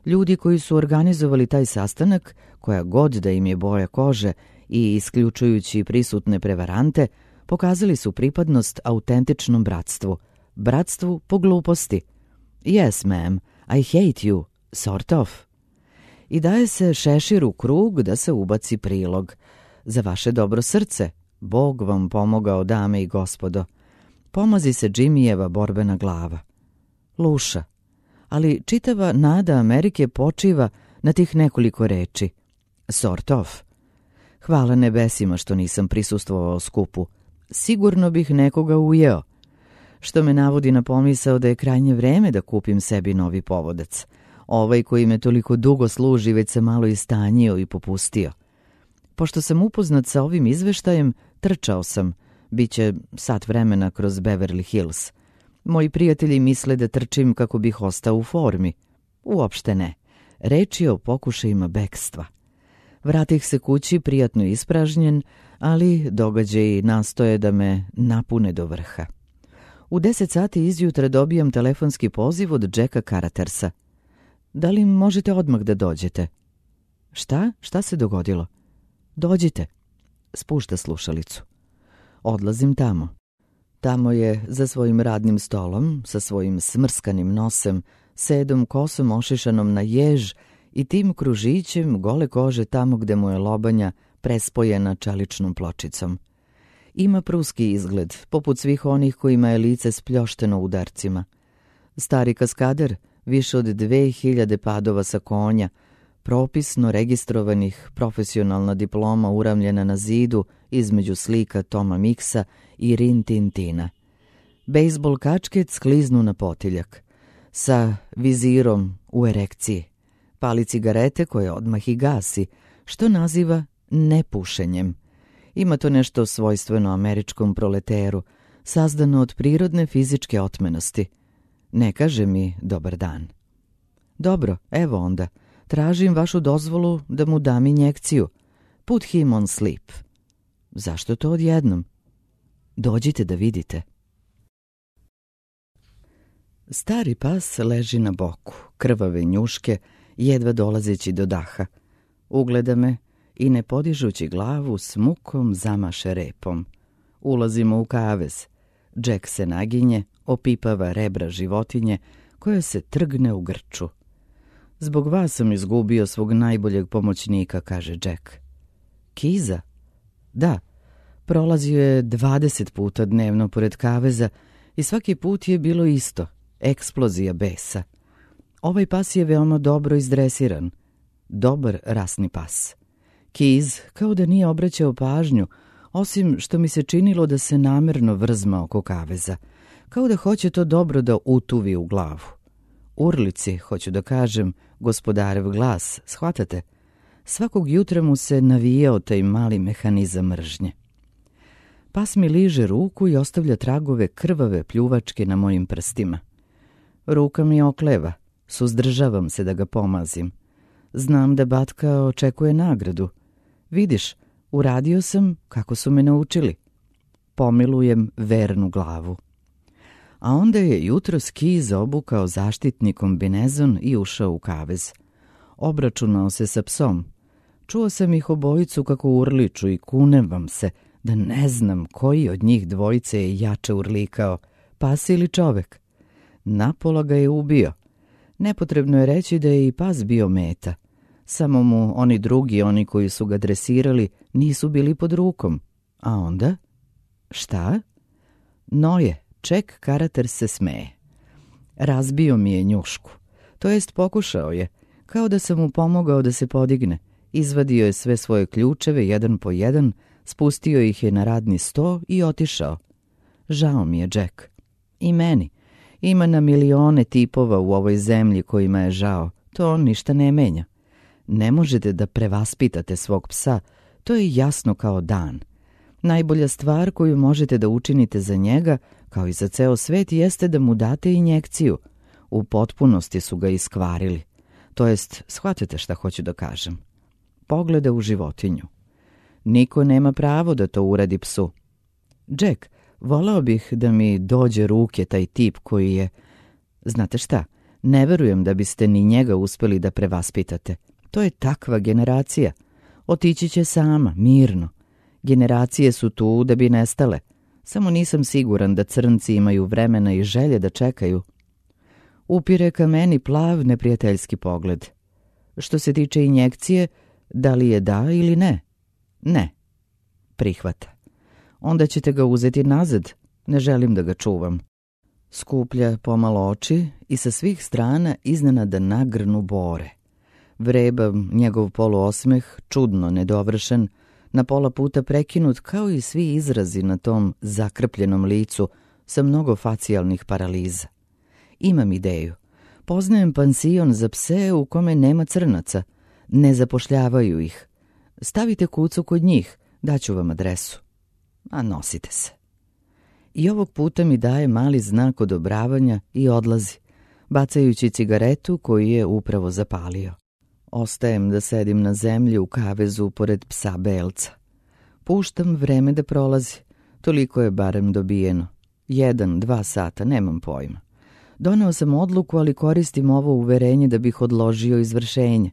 Ljudi koji su organizovali taj sastanak, koja god da im je boja kože i isključujući prisutne prevarante, pokazali su pripadnost autentičnom bratstvu, bratstvu po gluposti. Yes, ma'am, I hate you, sort of. i daje se šešir u krug da se ubaci prilog. Za vaše dobro srce, Bog vam pomogao, dame i gospodo. Pomazi se Jimmyjeva borbena glava. Luša, ali čitava nada Amerike počiva na tih nekoliko reči. Sort of. Hvala nebesima što nisam prisustvovao skupu. Sigurno bih nekoga ujeo. Što me navodi na pomisao da je krajnje vreme da kupim sebi novi povodac. Ovaj koji me toliko dugo služi već se malo istanjio i popustio. Pošto sam upoznat sa ovim izveštajem, trčao sam. Biće sat vremena kroz Beverly Hills. Moji prijatelji misle da trčim kako bih ostao u formi. Uopšte ne. Reč je o pokušajima bekstva. Vratih se kući prijatno ispražnjen, ali događaji nastoje da me napune do vrha. U 10 sati izjutra dobijam telefonski poziv od Jacka Caratersa. Da li možete odmah da dođete? Šta? Šta se dogodilo? Dođite. Spušta slušalicu. Odlazim tamo. Tamo je za svojim radnim stolom, sa svojim smrskanim nosem, sedom kosom ošišanom na jež i tim kružićem gole kože tamo gde mu je lobanja prespojena čeličnom pločicom. Ima pruski izgled, poput svih onih kojima je lice spljošteno udarcima. Stari kaskader, više od 2000 padova sa konja, propisno registrovanih, profesionalna diploma uramljena na zidu između slika Toma Mixa i Rin Tintina. Bejsbol kačket skliznu na potiljak, sa vizirom u erekciji. Pali cigarete koje odmah i gasi, što naziva nepušenjem. Ima to nešto svojstveno američkom proleteru, sazdano od prirodne fizičke otmenosti. Ne kaže mi dobar dan. Dobro, evo onda, tražim vašu dozvolu da mu dam injekciju. Put him on sleep. Zašto to odjednom? Dođite da vidite. Stari pas leži na boku, krvave njuške, jedva dolazeći do daha. Ugleda me i ne podižući glavu s mukom zamaše repom. Ulazimo u kavez. Jack se naginje, opipava rebra životinje koja se trgne u grču. Zbog vas sam izgubio svog najboljeg pomoćnika, kaže Jack. Kiza? Da, prolazio je 20 puta dnevno pored kaveza i svaki put je bilo isto, eksplozija besa. Ovaj pas je veoma dobro izdresiran, dobar rasni pas. Kiz kao da nije obraćao pažnju, osim što mi se činilo da se namerno vrzma oko kaveza, kao da hoće to dobro da utuvi u glavu. Urlici, hoću da kažem, gospodarev glas, shvatate? Svakog jutra mu se navijao taj mali mehanizam mržnje. Pas mi liže ruku i ostavlja tragove krvave pljuvačke na mojim prstima. Ruka mi okleva, suzdržavam se da ga pomazim. Znam da Batka očekuje nagradu. Vidiš, uradio sam kako su me naučili. Pomilujem vernu glavu. A onda je jutros Kiz obukao zaštitni kombinezon i ušao u kavez. Obračunao se sa psom. Čuo sam ih obojicu kako urliču i kunem vam se da ne znam koji od njih dvojice je jače urlikao, pas ili čovek. Napola ga je ubio. Nepotrebno je reći da je i pas bio meta. Samo mu oni drugi, oni koji su ga dresirali, nisu bili pod rukom. A onda? Šta? Noje, Jack Carater se smeje. Razbio mi je njušku. To jest pokušao je, kao da sam mu pomogao da se podigne. Izvadio je sve svoje ključeve jedan po jedan, spustio ih je na radni sto i otišao. Žao mi je, Jack. I meni. Ima na milione tipova u ovoj zemlji kojima je žao. To ništa ne menja. Ne možete da prevaspitate svog psa, to je jasno kao dan. Najbolja stvar koju možete da učinite za njega, kao i za ceo svet, jeste da mu date injekciju. U potpunosti su ga iskvarili. To jest, shvatate šta hoću da kažem. Pogleda u životinju. Niko nema pravo da to uradi psu. Jack, voleo bih da mi dođe ruke taj tip koji je... Znate šta, ne verujem da biste ni njega uspeli da prevaspitate. To je takva generacija. Otići će sama, mirno. Generacije su tu da bi nestale. Samo nisam siguran da crnci imaju vremena i želje da čekaju. Upire ka meni plav neprijateljski pogled. Što se tiče injekcije, da li je da ili ne? Ne. Prihvata. Onda ćete ga uzeti nazad. Ne želim da ga čuvam. Skuplja pomalo oči i sa svih strana iznenada nagrnu bore. Vreba njegov poluosmeh, čudno nedovršen, na pola puta prekinut kao i svi izrazi na tom zakrpljenom licu sa mnogo facijalnih paraliza. Imam ideju. Poznajem pansion za pse u kome nema crnaca. Ne zapošljavaju ih. Stavite kucu kod njih, daću vam adresu. A nosite se. I ovog puta mi daje mali znak odobravanja i odlazi, bacajući cigaretu koju je upravo zapalio. Ostajem da sedim na zemlji u kavezu pored psa Belca. Puštam vreme da prolazi. Toliko je barem dobijeno. 1-2 sata, nemam pojma. Doneo sam odluku, ali koristim ovo uverenje da bih odložio izvršenje.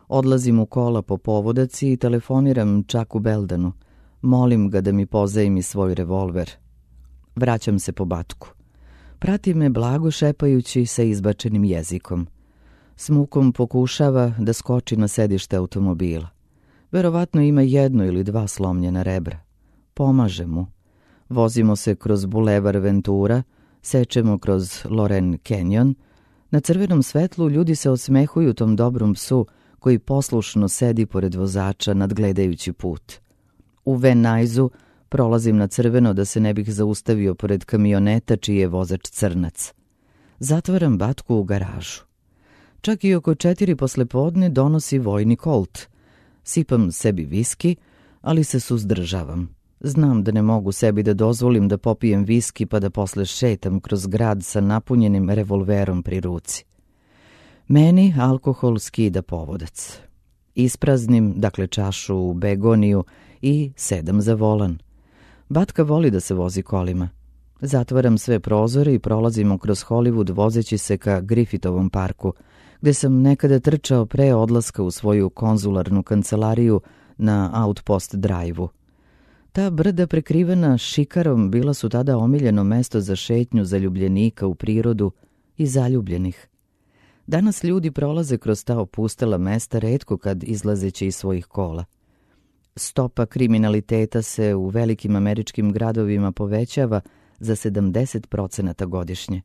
Odlazim u kola po povodaci i telefoniram Čaku Beldanu. Molim ga da mi pozajmi svoj revolver. Vraćam se po Batku. Prati me blago šepajući sa izbačenim jezikom. S mukom pokušava da skoči na sedište automobila. Verovatno ima 1 ili 2 slomljena rebra. Pomaže mu. Vozimo se kroz bulevar Ventura, sečemo kroz Loren Canyon. Na crvenom svetlu ljudi se osmehuju tom dobrom psu koji poslušno sedi pored vozača nadgledajući put. U Van Nuys prolazim na crveno da se ne bih zaustavio pored kamioneta čiji je vozač crnac. Zatvaram Batku u garažu. Čak i oko 4 poslepodne donosi vojni Colt. Sipam sebi viski, ali se suzdržavam. Znam da ne mogu sebi da dozvolim da popijem viski pa da posle šetam kroz grad sa napunjenim revolverom pri ruci. Meni alkohol skida povodac. Ispraznim, dakle čašu u begoniju i sedam za volan. Batka voli da se vozi kolima. Zatvaram sve prozore i prolazimo kroz Hollywood vozeći se ka Griffithovom parku, gde sam nekada trčao pre odlaska u svoju konzularnu kancelariju na Outpost Drive-u. Ta brda prekrivena šikarom bila su tada omiljeno mesto za šetnju zaljubljenika u prirodu i zaljubljenih. Danas ljudi prolaze kroz ta opustela mesta retko kad izlazeći iz svojih kola. Stopa kriminaliteta se u velikim američkim gradovima povećava za 70% godišnje.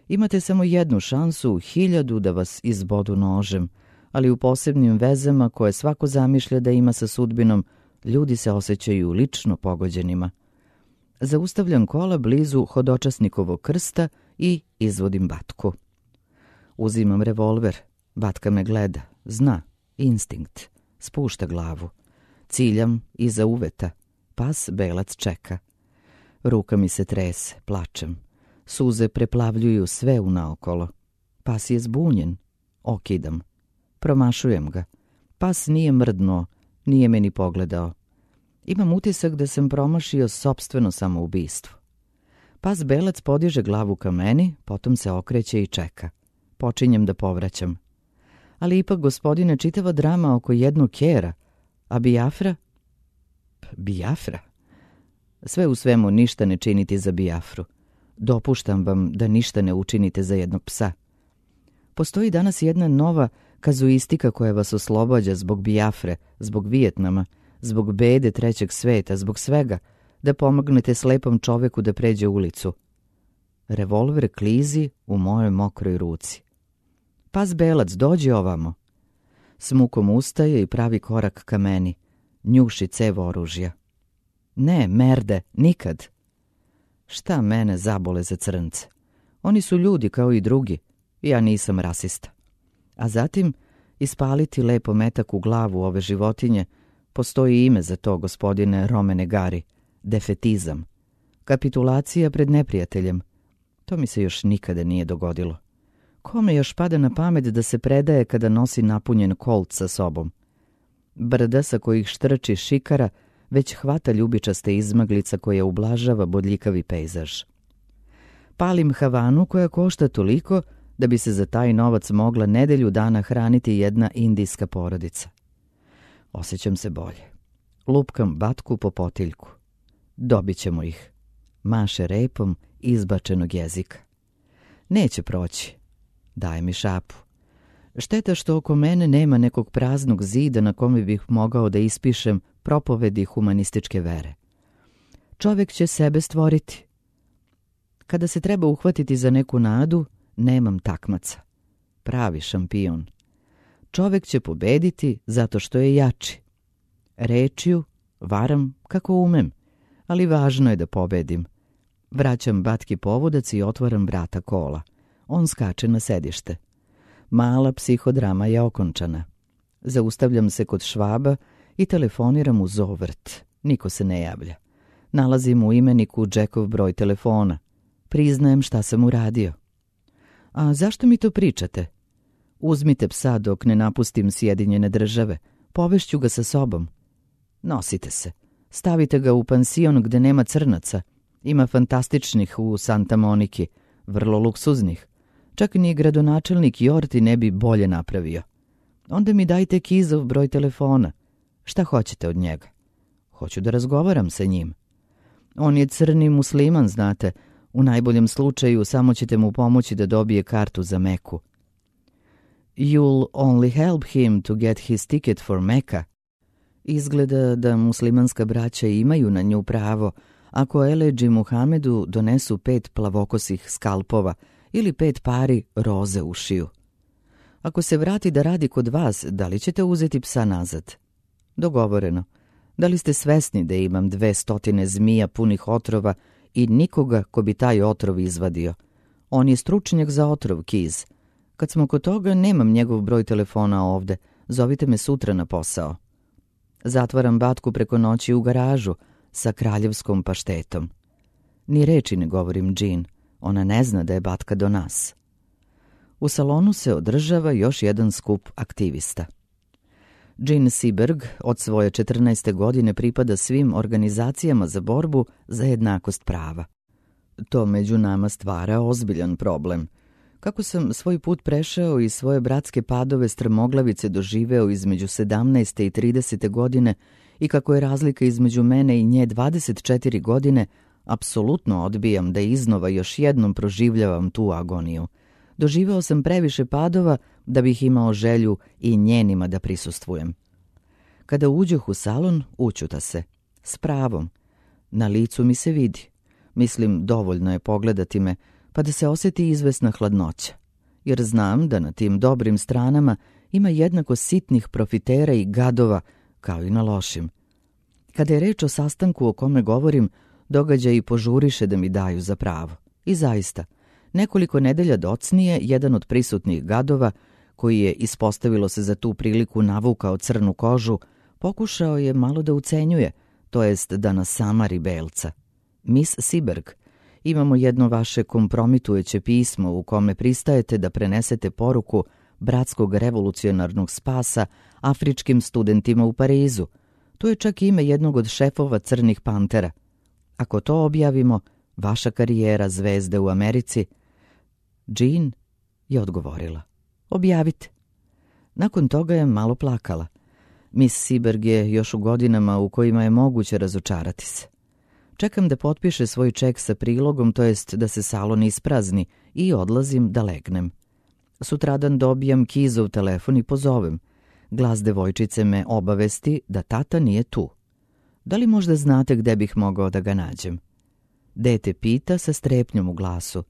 Imate samo 1 šansu u 1000 da vas izbodu nožem, ali u posebnim vezama koje svako zamišlja da ima sa sudbinom, ljudi se osjećaju lično pogođenima. Zaustavljam kola blizu hodočasnikovog krsta i izvodim Batku. Uzimam revolver. Batka me gleda. Zna. Instinkt. Spušta glavu. Ciljam iza uveta. Pas Belac čeka. Ruka mi se trese. Plačem. Suze preplavljuju sve unaokolo. Pas je zbunjen. Okidam. Promašujem ga. Pas nije mrdnuo. Nije me ni pogledao. Imam utisak da sam promašio sopstveno samoubistvo. Pas Belac podiže glavu ka meni, potom se okreće i čeka. Počinjem da povraćam. Ali ipak, gospodine, čitava drama oko jednog kera. A Biafra? Biafra? Sve u svemu ništa ne činiti za Biafru. Dopuštam vam da ništa ne učinite za jednog psa. Postoji danas jedna nova kazuistika koja vas oslobađa zbog Biafre, zbog Vijetnama, zbog bede trećeg sveta, zbog svega, da pomognete slepom čoveku da pređe ulicu. Revolver klizi u mojoj mokroj ruci. Pas Belac, dođi ovamo. S mukom ustaje i pravi korak ka meni. Njuši cev oružja. Ne, merde, nikad. Šta mene zabole za crnce? Oni su ljudi kao i drugi. Ja nisam rasista. A zatim, ispaliti lepo metak u glavu ove životinje, postoji ime za to, gospodine Romane Gari. Defetizam. Kapitulacija pred neprijateljem. To mi se još nikada nije dogodilo. Kome još pada na pamet da se predaje kada nosi napunjen Colt sa sobom? Brda sa kojih štrči šikara već hvata ljubičaste izmaglica koja ublažava bodljikavi pejzaž. Palim Havanu koja košta toliko da bi se za taj novac mogla nedelju dana hraniti jedna indijska porodica. Osjećam se bolje. Lupkam Batku po potiljku. Dobit ćemo ih. Maše repom izbačenog jezika. Neće proći. Daje mi šapu. Šteta što oko mene nema nekog praznog zida na kome bih mogao da ispišem propovedi humanističke vere. Čovek će sebe stvoriti. Kada se treba uhvatiti za neku nadu, nemam takmaca. Pravi šampion. Čovek će pobediti zato što je jači. Rečju varam kako umem, ali važno je da pobedim. Vraćam batki povodac i otvaram vrata kola. On skače na sedište. Mala psihodrama je okončana. Zaustavljam se kod Švaba i telefoniram u Zovrt. Niko se ne javlja. Nalazim u imeniku Jackov broj telefona. Priznajem šta sam uradio. A zašto mi to pričate? Uzmite psa dok ne napustim Sjedinjene Države. Povešću ga sa sobom. Nosite se. Stavite ga u pansion gde nema crnaca. Ima fantastičnih u Santa Moniki, vrlo luksuznih. Čak ni gradonačelnik Jorti ne bi bolje napravio. Onda mi dajte Kizov broj telefona. Šta hoćete od njega? Hoću da razgovaram sa njim. On je crni musliman, znate. U najboljem slučaju samo ćete mu pomoći da dobije kartu za Meku. You'll only help him to get his ticket for Mecca. Izgleda da muslimanska braća imaju na nju pravo ako Eleđi Muhamedu donesu 5 plavokosih skalpova ili 5 pari roze u šiju. Ako se vrati da radi kod vas, da li ćete uzeti psa nazad? Dogovoreno. Da li ste svesni da imam 200 zmija punih otrova i nikoga ko bi taj otrov izvadio? On je stručnjak za otrov, Kiz. Kad smo kod toga, nemam njegov broj telefona ovde. Zovite me sutra na posao. Zatvaram batku preko noći u garažu sa kraljevskom paštetom. Ni reči ne govorim Jean. Ona ne zna da je batka do nas. U salonu se održava još jedan skup aktivista. Jean Seberg od svoje 14. godine pripada svim organizacijama za borbu za jednakost prava. To među nama stvara ozbiljan problem. Kako sam svoj put prešao i svoje bratske padove strmoglavice doživeo između 17. i 30. godine i kako je razlika između mene i nje 24 godine, apsolutno odbijam da iznova još jednom proživljavam tu agoniju. Doživeo sam previše padova da bih imao želju i njenima da prisustvujem. Kada uđoh u salon, učuta se. S pravom. Na licu mi se vidi. Mislim, dovoljno je pogledati me, pa da se osjeti izvesna hladnoća. Jer znam da na tim dobrim stranama ima jednako sitnih profitera i gadova, kao i na lošim. Kada je reč o sastanku o kome govorim, događaji požuriše da mi daju za pravo. I zaista, nekoliko nedelja docnije, jedan od prisutnih gadova, koji je, ispostavilo se za tu priliku, navukao crnu kožu, pokušao je malo da ucenjuje, to jest da nas samari belca. Miss Seberg, imamo jedno vaše kompromitujuće pismo u kome pristajete da prenesete poruku bratskog revolucionarnog spasa afričkim studentima u Parizu. To je čak ime jednog od šefova Crnih pantera. Ako to objavimo, vaša karijera zvezde u Americi... Jean je odgovorila. Objavite. Nakon toga je malo plakala. Miss Seberg je još u godinama u kojima je moguće razočarati se. Čekam da potpiše svoj ček sa prilogom, to jest da se salon isprazni, i odlazim da legnem. Sutradan dobijam Kizov telefon i pozovem. Glas devojčice me obavesti da tata nije tu. Da li možda znate gde bih mogao da ga nađem? Dete pita sa strepnjom u glasu.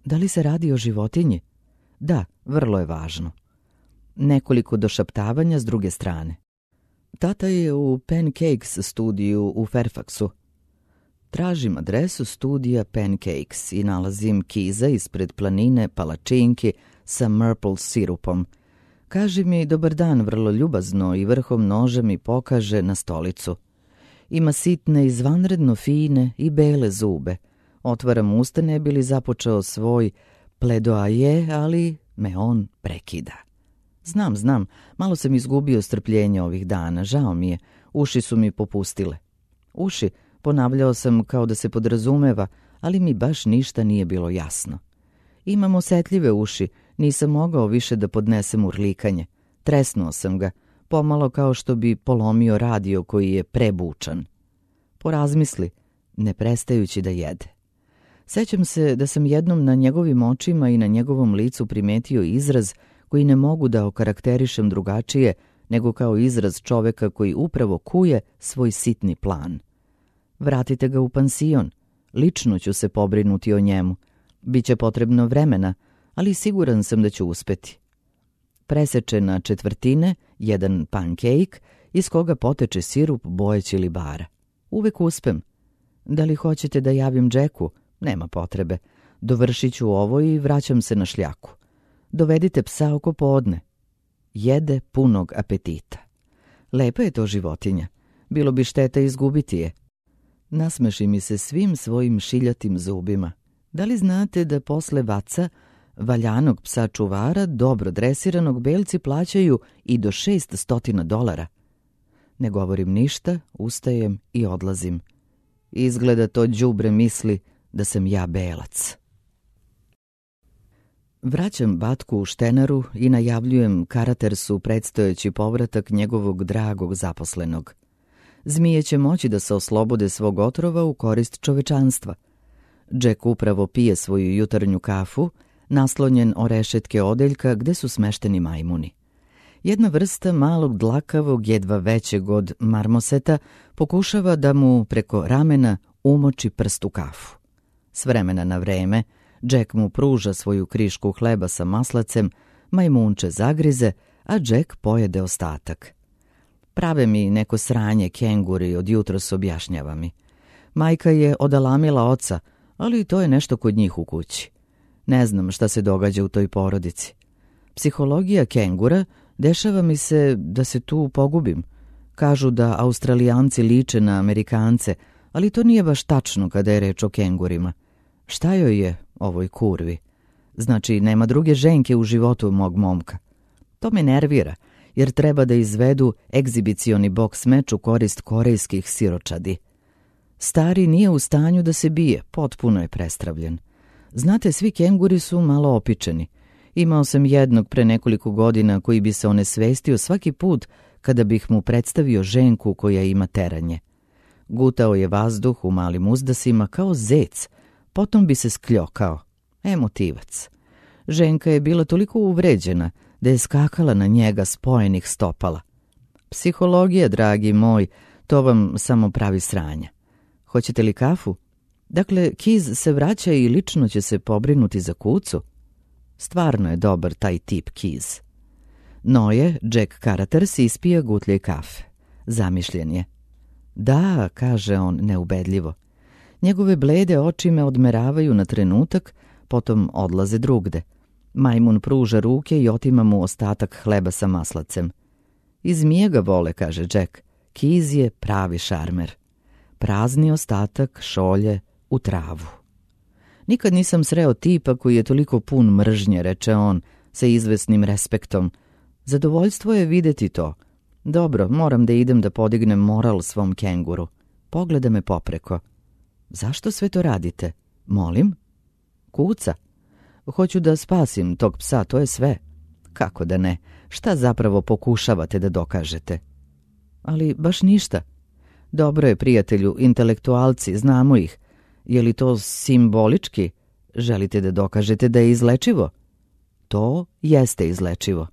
Da li se radi o životinji? Da, vrlo je važno. Nekoliko došaptavanja s druge strane. Tata je u Pancakes studiju u Fairfaxu. Tražim adresu studija Pancakes i nalazim Kiza ispred planine palačinki sa maple sirupom. Kaže mi dobar dan vrlo ljubazno i vrhom noža mi pokaže na stolicu. Ima sitne, izvanredno fine i bele zube. Otvaram usta ne bi li započeo svoj pledoaje, ali me on prekida. Znam, malo sam izgubio strpljenje ovih dana, žao mi je, uši su mi popustile. Uši, ponavljao sam kao da se podrazumeva, ali mi baš ništa nije bilo jasno. Imam osetljive uši, nisam mogao više da podnesem urlikanje. Tresnuo sam ga, pomalo kao što bi polomio radio koji je prebučan. Porazmisli, ne prestajući da jede. Sećam se da sam jednom na njegovim očima i na njegovom licu primetio izraz koji ne mogu da okarakterišem drugačije nego kao izraz čoveka koji upravo kuje svoj sitni plan. Vratite ga u pansion, lično ću se pobrinuti o njemu. Biće potrebno vremena, ali siguran sam da ću uspeti. Preseče na četvrtine jedan pankejk iz koga poteče sirup boje ćilibara. Uvek uspem. Da li hoćete da javim Jacku? Nema potrebe. Dovršit ću ovo i vraćam se na šljaku. Dovedite psa oko podne. Jede punog apetita. Lepa je to životinja. Bilo bi šteta izgubiti je. Nasmeši mi se svim svojim šiljatim zubima. Da li znate da posle Vaca, valjanog psa čuvara, dobro dresiranog, belci plaćaju i do $600? Ne govorim ništa, ustajem i odlazim. Izgleda to đubre misli da sam ja belac. Vraćam Batku u Štenaru i najavljujem Karatersu predstojeći povratak njegovog dragog zaposlenog. Zmije će moći da se oslobode svog otrova u korist čovečanstva. Jack upravo pije svoju jutarnju kafu, naslonjen o rešetke odeljka gde su smešteni majmuni. Jedna vrsta malog dlakavog, jedva većeg od marmoseta, pokušava da mu preko ramena umoči prst u kafu. S vremena na vreme, Jack mu pruža svoju krišku hleba sa maslacem, majmunče zagrize, a Jack pojede ostatak. Prave mi neko sranje kenguri, od jutros objašnjava mi. Majka je odalamila oca, ali to je nešto kod njih u kući. Ne znam šta se događa u toj porodici. Psihologija kengura, dešava mi se da se tu pogubim. Kažu da Australijanci liče na Amerikance, ali to nije baš tačno kada je reč o kengurima. Šta joj je, ovoj kurvi? Znači, nema druge ženke u životu mog momka. To me nervira, jer treba da izvedu egzibicioni boks meč u korist korejskih siročadi. Stari nije u stanju da se bije, potpuno je prestravljen. Znate, svi kenguri su malo opičeni. Imao sam jednog pre nekoliko godina koji bi se onesvestio svaki put kada bih mu predstavio ženku koja ima teranje. Gutao je vazduh u malim uzdasima kao zec, potom bi se skljokao. Emotivac. Ženka je bila toliko uvređena da je skakala na njega spojenih stopala. Psihologija, dragi moj, to vam samo pravi sranja. Hoćete li kafu? Dakle, Kiz se vraća i lično će se pobrinuti za kucu. Stvarno je dobar taj tip Kiz. Noje, Jack Karaters, ispija gutljaj kafe. Zamišljen je. Da, kaže on neubedljivo. Njegove blede oči me odmeravaju na trenutak, potom odlaze drugde. Majmun pruža ruke i otima mu ostatak hleba sa maslacem. I zmije ga vole, kaže Jack. Kiz je pravi šarmer. Prazni ostatak šolje u travu. Nikad nisam sreo tipa koji je toliko pun mržnje, reče on, sa izvesnim respektom. Zadovoljstvo je videti to. Dobro, moram da idem da podignem moral svom kenguru. Pogleda me popreko. Zašto sve to radite? Molim? Kuca. Hoću da spasim tog psa, to je sve. Kako da ne? Šta zapravo pokušavate da dokažete? Ali baš ništa. Dobro je, prijatelju, intelektualci, znamo ih. Je li to simbolički? Želite da dokažete da je izlečivo? To jeste izlečivo.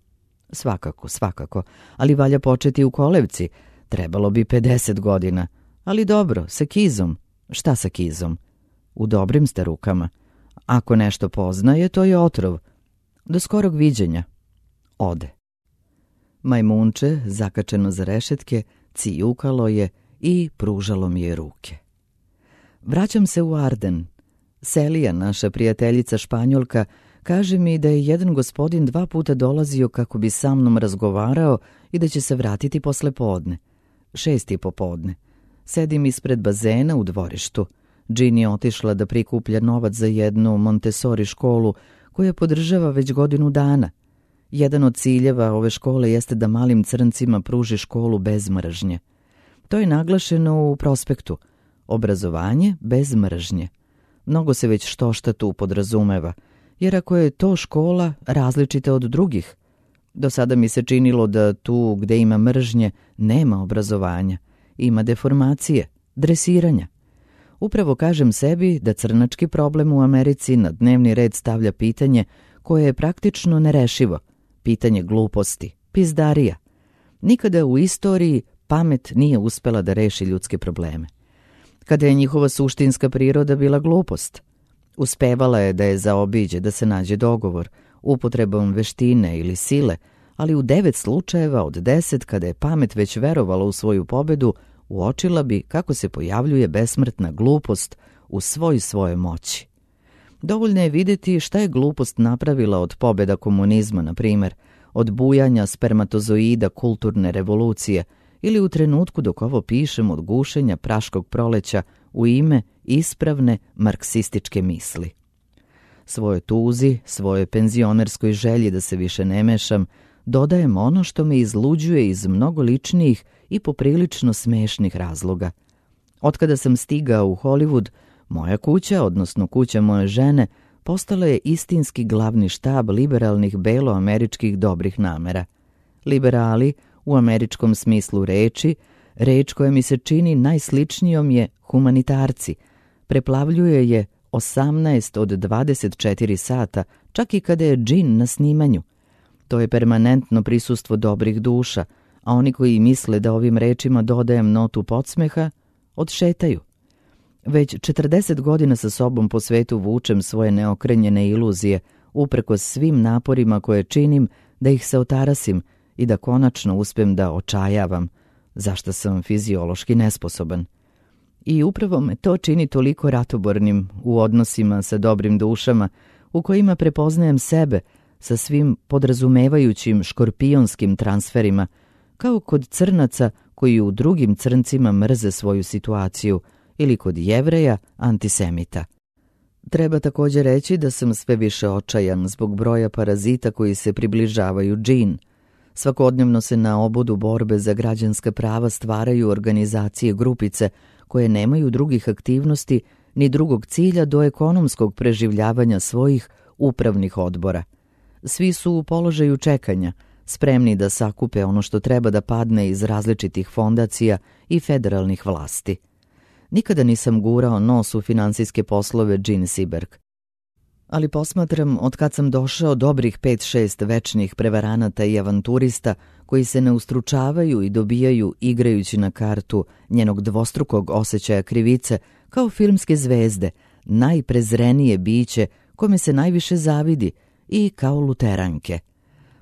Svakako, svakako, ali valja početi u kolevci. Trebalo bi 50 godina. Ali dobro, sa Kizom. Šta sa Kizom? U dobrim ste rukama. Ako nešto poznaje, to je otrov. Do skorog viđenja. Ode. Majmunče, zakačeno za rešetke, cijukalo je i pružalo mi je ruke. Vraćam se u Arden. Selija, naša prijateljica Španjolka, kaže mi da je jedan gospodin 2 puta dolazio kako bi sa mnom razgovarao i da će se vratiti posle podne. 6 popodne. Sedim ispred bazena u dvorištu. Jean je otišla da prikuplja novac za jednu Montessori školu koja podržava već godinu dana. Jedan od ciljeva ove škole jeste da malim crncima pruži školu bez mržnje. To je naglašeno u prospektu. Obrazovanje bez mržnje. Mnogo se već štošta tu podrazumeva, jer ako je to škola različita od drugih, do sada mi se činilo da tu gde ima mržnje nema obrazovanja, ima deformacije, dresiranja. Upravo kažem sebi da crnački problem u Americi na dnevni red stavlja pitanje koje je praktično nerešivo, pitanje gluposti, pizdarija. Nikada u istoriji pamet nije uspela da reši ljudske probleme. Kada je njihova suštinska priroda bila glupost, uspevala je da je zaobiđe, da se nađe dogovor, upotrebom veštine ili sile, ali u 9 slučajeva od 10, kada je pamet već verovala u svoju pobedu, uočila bi kako se pojavljuje besmrtna glupost u svojoj moći. Dovoljno je vidjeti šta je glupost napravila od pobjeda komunizma, na primjer, od bujanja spermatozoida kulturne revolucije ili u trenutku dok ovo pišem od gušenja praškog proleća u ime ispravne marksističke misli. Svojoj tuzi, svojoj penzionerskoj želji da se više ne mešam, dodajem ono što me izluđuje iz mnogo ličnijih i poprilično smešnih razloga. Otkada sam stigao u Hollywood, moja kuća, odnosno kuća moje žene, postala je istinski glavni štab liberalnih beloameričkih dobrih namera. Liberali, u američkom smislu reči, reč koja mi se čini najsličnijom je humanitarci. Preplavljuje je 18 od 24 sata, čak i kada je džin na snimanju. To je permanentno prisustvo dobrih duša, a oni koji misle da ovim rečima dodajem notu podsmeha, odšetaju. Već 40 godina sa sobom po svetu vučem svoje neokrenjene iluzije, uprkos svim naporima koje činim da ih se otarasim i da konačno uspem da očajavam, zašto sam fiziološki nesposoban. I upravo me to čini toliko ratobornim u odnosima sa dobrim dušama, u kojima prepoznajem sebe sa svim podrazumevajućim škorpionskim transferima, kao kod crnaca koji u drugim crncima mrze svoju situaciju, ili kod Jevreja antisemita. Treba također reći da sam sve više očajan zbog broja parazita koji se približavaju džin. Svakodnevno se na obodu borbe za građanska prava stvaraju organizacije grupice koje nemaju drugih aktivnosti ni drugog cilja do ekonomskog preživljavanja svojih upravnih odbora. Svi su u položaju čekanja, spremni da sakupe ono što treba da padne iz različitih fondacija i federalnih vlasti. Nikada nisam gurao nos u finansijske poslove Jean Seberg. Ali posmatram od kad sam došao dobrih 5-6 večnih prevaranata i avanturista koji se ne ustručavaju i dobijaju igrajući na kartu njenog dvostrukog osjećaja krivice kao filmske zvezde, najprezrenije biće kome se najviše zavidi i kao luteranke.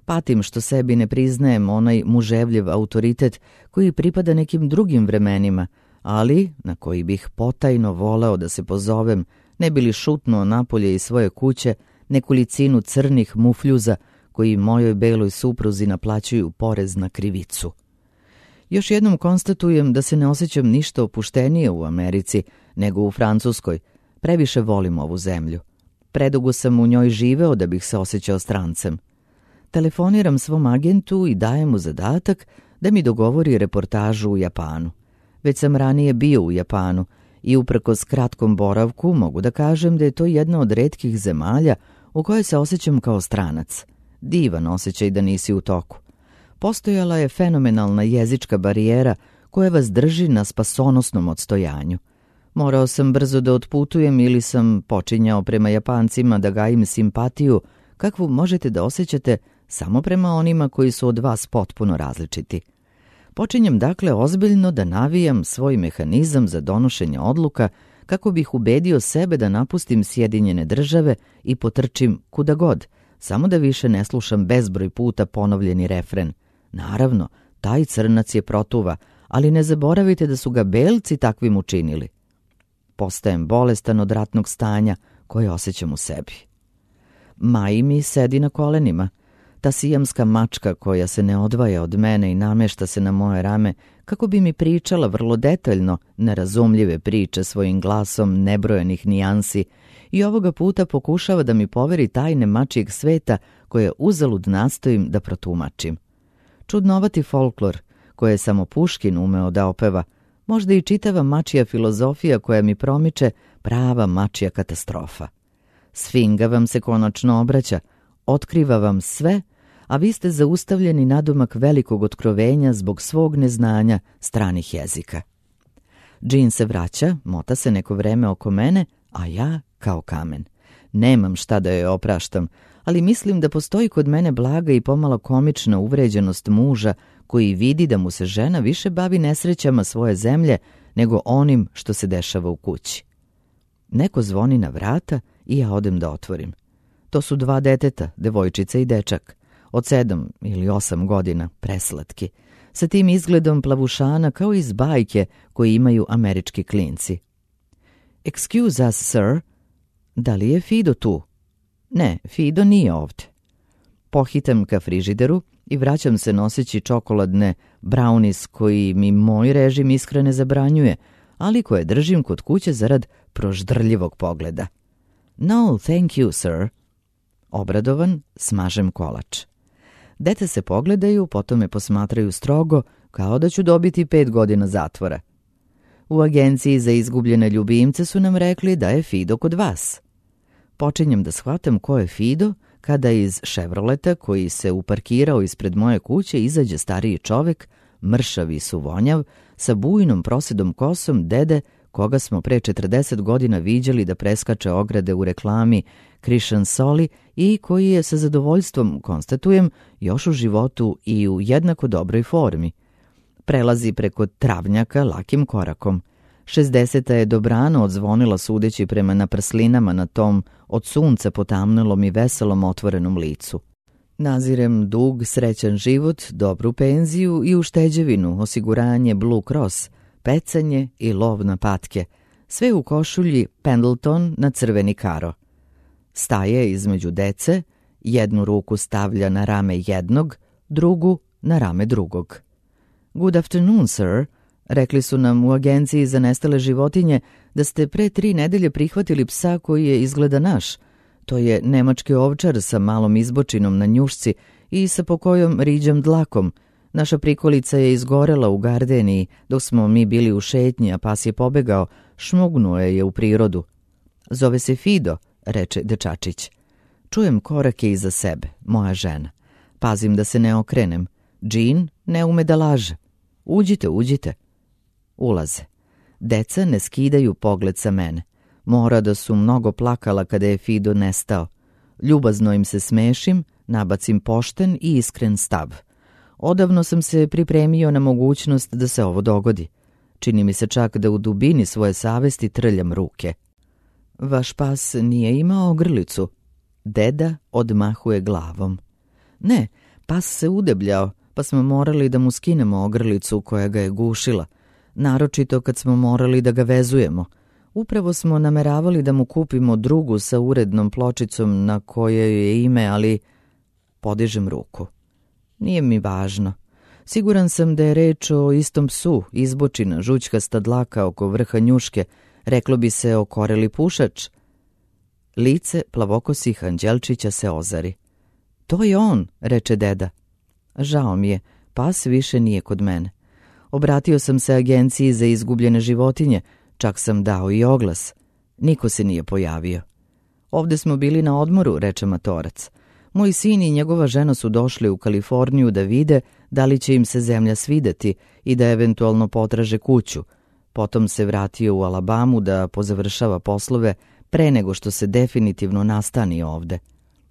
Patim što sebi ne priznajem onaj muževljiv autoritet koji pripada nekim drugim vremenima, ali na koji bih potajno voleo da se pozovem, ne bi li šutnuo napolje iz svoje kuće nekolicinu crnih mufljuza koji mojoj beloj supruzi naplaćuju porez na krivicu. Još jednom konstatujem da se ne osjećam ništa opuštenije u Americi nego u Francuskoj. Previše volim ovu zemlju. Predugo sam u njoj živeo da bih se osjećao strancem. Telefoniram svom agentu i dajem mu zadatak da mi dogovori reportažu u Japanu. Već sam ranije bio u Japanu i uprkos kratkom boravku mogu da kažem da je to jedna od retkih zemalja u kojoj se osjećam kao stranac. Divan osjećaj da nisi u toku. Postojala je fenomenalna jezička barijera koja vas drži na spasonosnom odstojanju. Morao sam brzo da otputujem ili sam počinjao prema Japancima da gajim simpatiju kakvu možete da osjećate samo prema onima koji su od vas potpuno različiti. Počinjem dakle ozbiljno da navijam svoj mehanizam za donošenje odluka kako bih ubedio sebe da napustim Sjedinjene Države i potrčim kuda god, samo da više ne slušam bezbroj puta ponovljeni refren. Naravno, taj crnac je protuva, ali ne zaboravite da su ga belci takvim učinili. Postajem bolestan od ratnog stanja koje osjećam u sebi. Mai mi sedi na kolenima. Ta sijamska mačka koja se ne odvaja od mene i namešta se na moje rame kako bi mi pričala vrlo detaljno nerazumljive priče svojim glasom nebrojenih nijansi i ovoga puta pokušava da mi poveri tajne mačjeg sveta koje uzalud nastojim da protumačim. Čudnovati folklor koje je samo Puškin umeo da opeva, možda i čitava mačja filozofija koja mi promiče prava mačja katastrofa. Sfinga vam se konačno obraća, otkriva vam sve, a vi ste zaustavljeni nadomak velikog otkrovenja zbog svog neznanja stranih jezika. Jean se vraća, mota se neko vreme oko mene, a ja kao kamen. Nemam šta da joj opraštam, ali mislim da postoji kod mene blaga i pomalo komična uvređenost muža koji vidi da mu se žena više bavi nesrećama svoje zemlje nego onim što se dešava u kući. Neko zvoni na vrata i ja odem da otvorim. To su 2 deteta, devojčica i dečak, od 7 ili 8 godina, preslatki, sa tim izgledom plavušana kao iz bajke koji imaju američki klinci. Excuse us, sir. Da li je Fido tu? Ne, Fido nije ovdje. Pohitam ka frižideru i vraćam se noseći čokoladne brownies koji mi moj režim ishrane zabranjuje, ali koje držim kod kuće zarad proždrljivog pogleda. No, thank you, sir. Obradovan, smažem kolač. Dete se pogledaju, potom me posmatraju strogo, kao da ću dobiti 5 godina zatvora. U agenciji za izgubljene ljubimce su nam rekli da je Fido kod vas. Počinjem da shvatam ko je Fido, kada iz Chevroleta koji se uparkirao ispred moje kuće izađe stariji čovek, mršav i suvonjav, sa bujnom prosedom kosom dede koga smo pre 40 godina viđali da preskače ograde u reklami Christian Soli i koji je sa zadovoljstvom, konstatujem, još u životu i u jednako dobroj formi. Prelazi preko travnjaka lakim korakom. 60. je dobrano odzvonila sudeći prema naprslinama na tom od sunca potamnelom i veselom otvorenom licu. Nazirem dug, srećan život, dobru penziju i ušteđevinu, osiguranje Blue Cross, pecanje i lov na patke, sve u košulji Pendleton na crveni karo. Staje između dece, jednu ruku stavlja na rame jednog, drugu na rame drugog. Good afternoon, sir. Rekli su nam u agenciji za nestale životinje da ste pre 3 nedelje prihvatili psa koji je izgleda naš. To je nemački ovčar sa malom izbočinom na njušci i sa pokojom riđom dlakom. Naša prikolica je izgorela u gardeniji dok smo mi bili u šetnji, a pas je pobegao, šmugnuo je u prirodu. Zove se Fido, reče dečačić. Čujem korake iza sebe, moja žena. Pazim da se ne okrenem. Jean ne ume da laže. Uđite, uđite. Ulaze. Deca ne skidaju pogled sa mene. Mora da su mnogo plakala kada je Fido nestao. Ljubazno im se smešim, nabacim pošten i iskren stav. Odavno sam se pripremio na mogućnost da se ovo dogodi. Čini mi se čak da u dubini svoje savesti trljam ruke. Vaš pas nije imao ogrlicu. Deda odmahuje glavom. Ne, pas se udebljao, pa smo morali da mu skinemo ogrlicu koja ga je gušila. Naročito kad smo morali da ga vezujemo. Upravo smo nameravali da mu kupimo drugu sa urednom pločicom na kojoj je ime, ali podižem ruku. Nije mi važno. Siguran sam da je reč o istom psu, izbočina, žućkasta dlaka oko vrha njuške, reklo bi se okoreli pušač. Lice plavokosih anđelčića se ozari. To je on, reče deda. Žao mi je, pas više nije kod mene. Obratio sam se agenciji za izgubljene životinje, čak sam dao i oglas. Niko se nije pojavio. Ovde smo bili na odmoru, reče matorac. Moj sin i njegova žena su došli u Kaliforniju da vide da li će im se zemlja svideti i da eventualno potraže kuću. Potom se vratio u Alabamu da pozavršava poslove pre nego što se definitivno nastani ovde.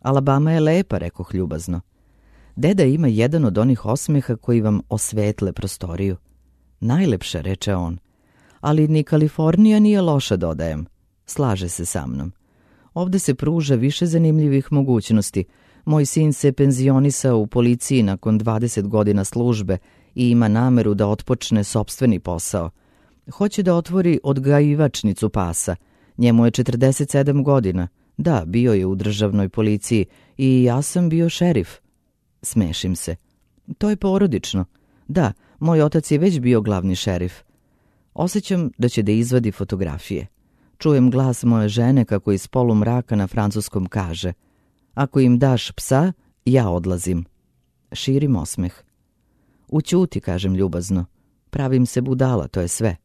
Alabama je lepa, rekoh ljubazno. Deda ima jedan od onih osmeha koji vam osvetle prostoriju. Najlepša, reče on. Ali ni Kalifornija nije loša, dodajem. Slaže se sa mnom. Ovde se pruža više zanimljivih mogućnosti. Moj sin se penzionisao u policiji nakon 20 godina službe i ima nameru da otpočne sopstveni posao. Hoće da otvori odgajivačnicu pasa. Njemu je 47 godina. Da, bio je u državnoj policiji i ja sam bio šerif. Smešim se. To je porodično. Da, moj otac je već bio glavni šerif. Osjećam da će da izvadi fotografije. Čujem glas moje žene kako iz polumraka na francuskom kaže: ako im daš psa, ja odlazim. Širim osmeh. Ućuti, kažem ljubazno. Pravim se budala, to je sve.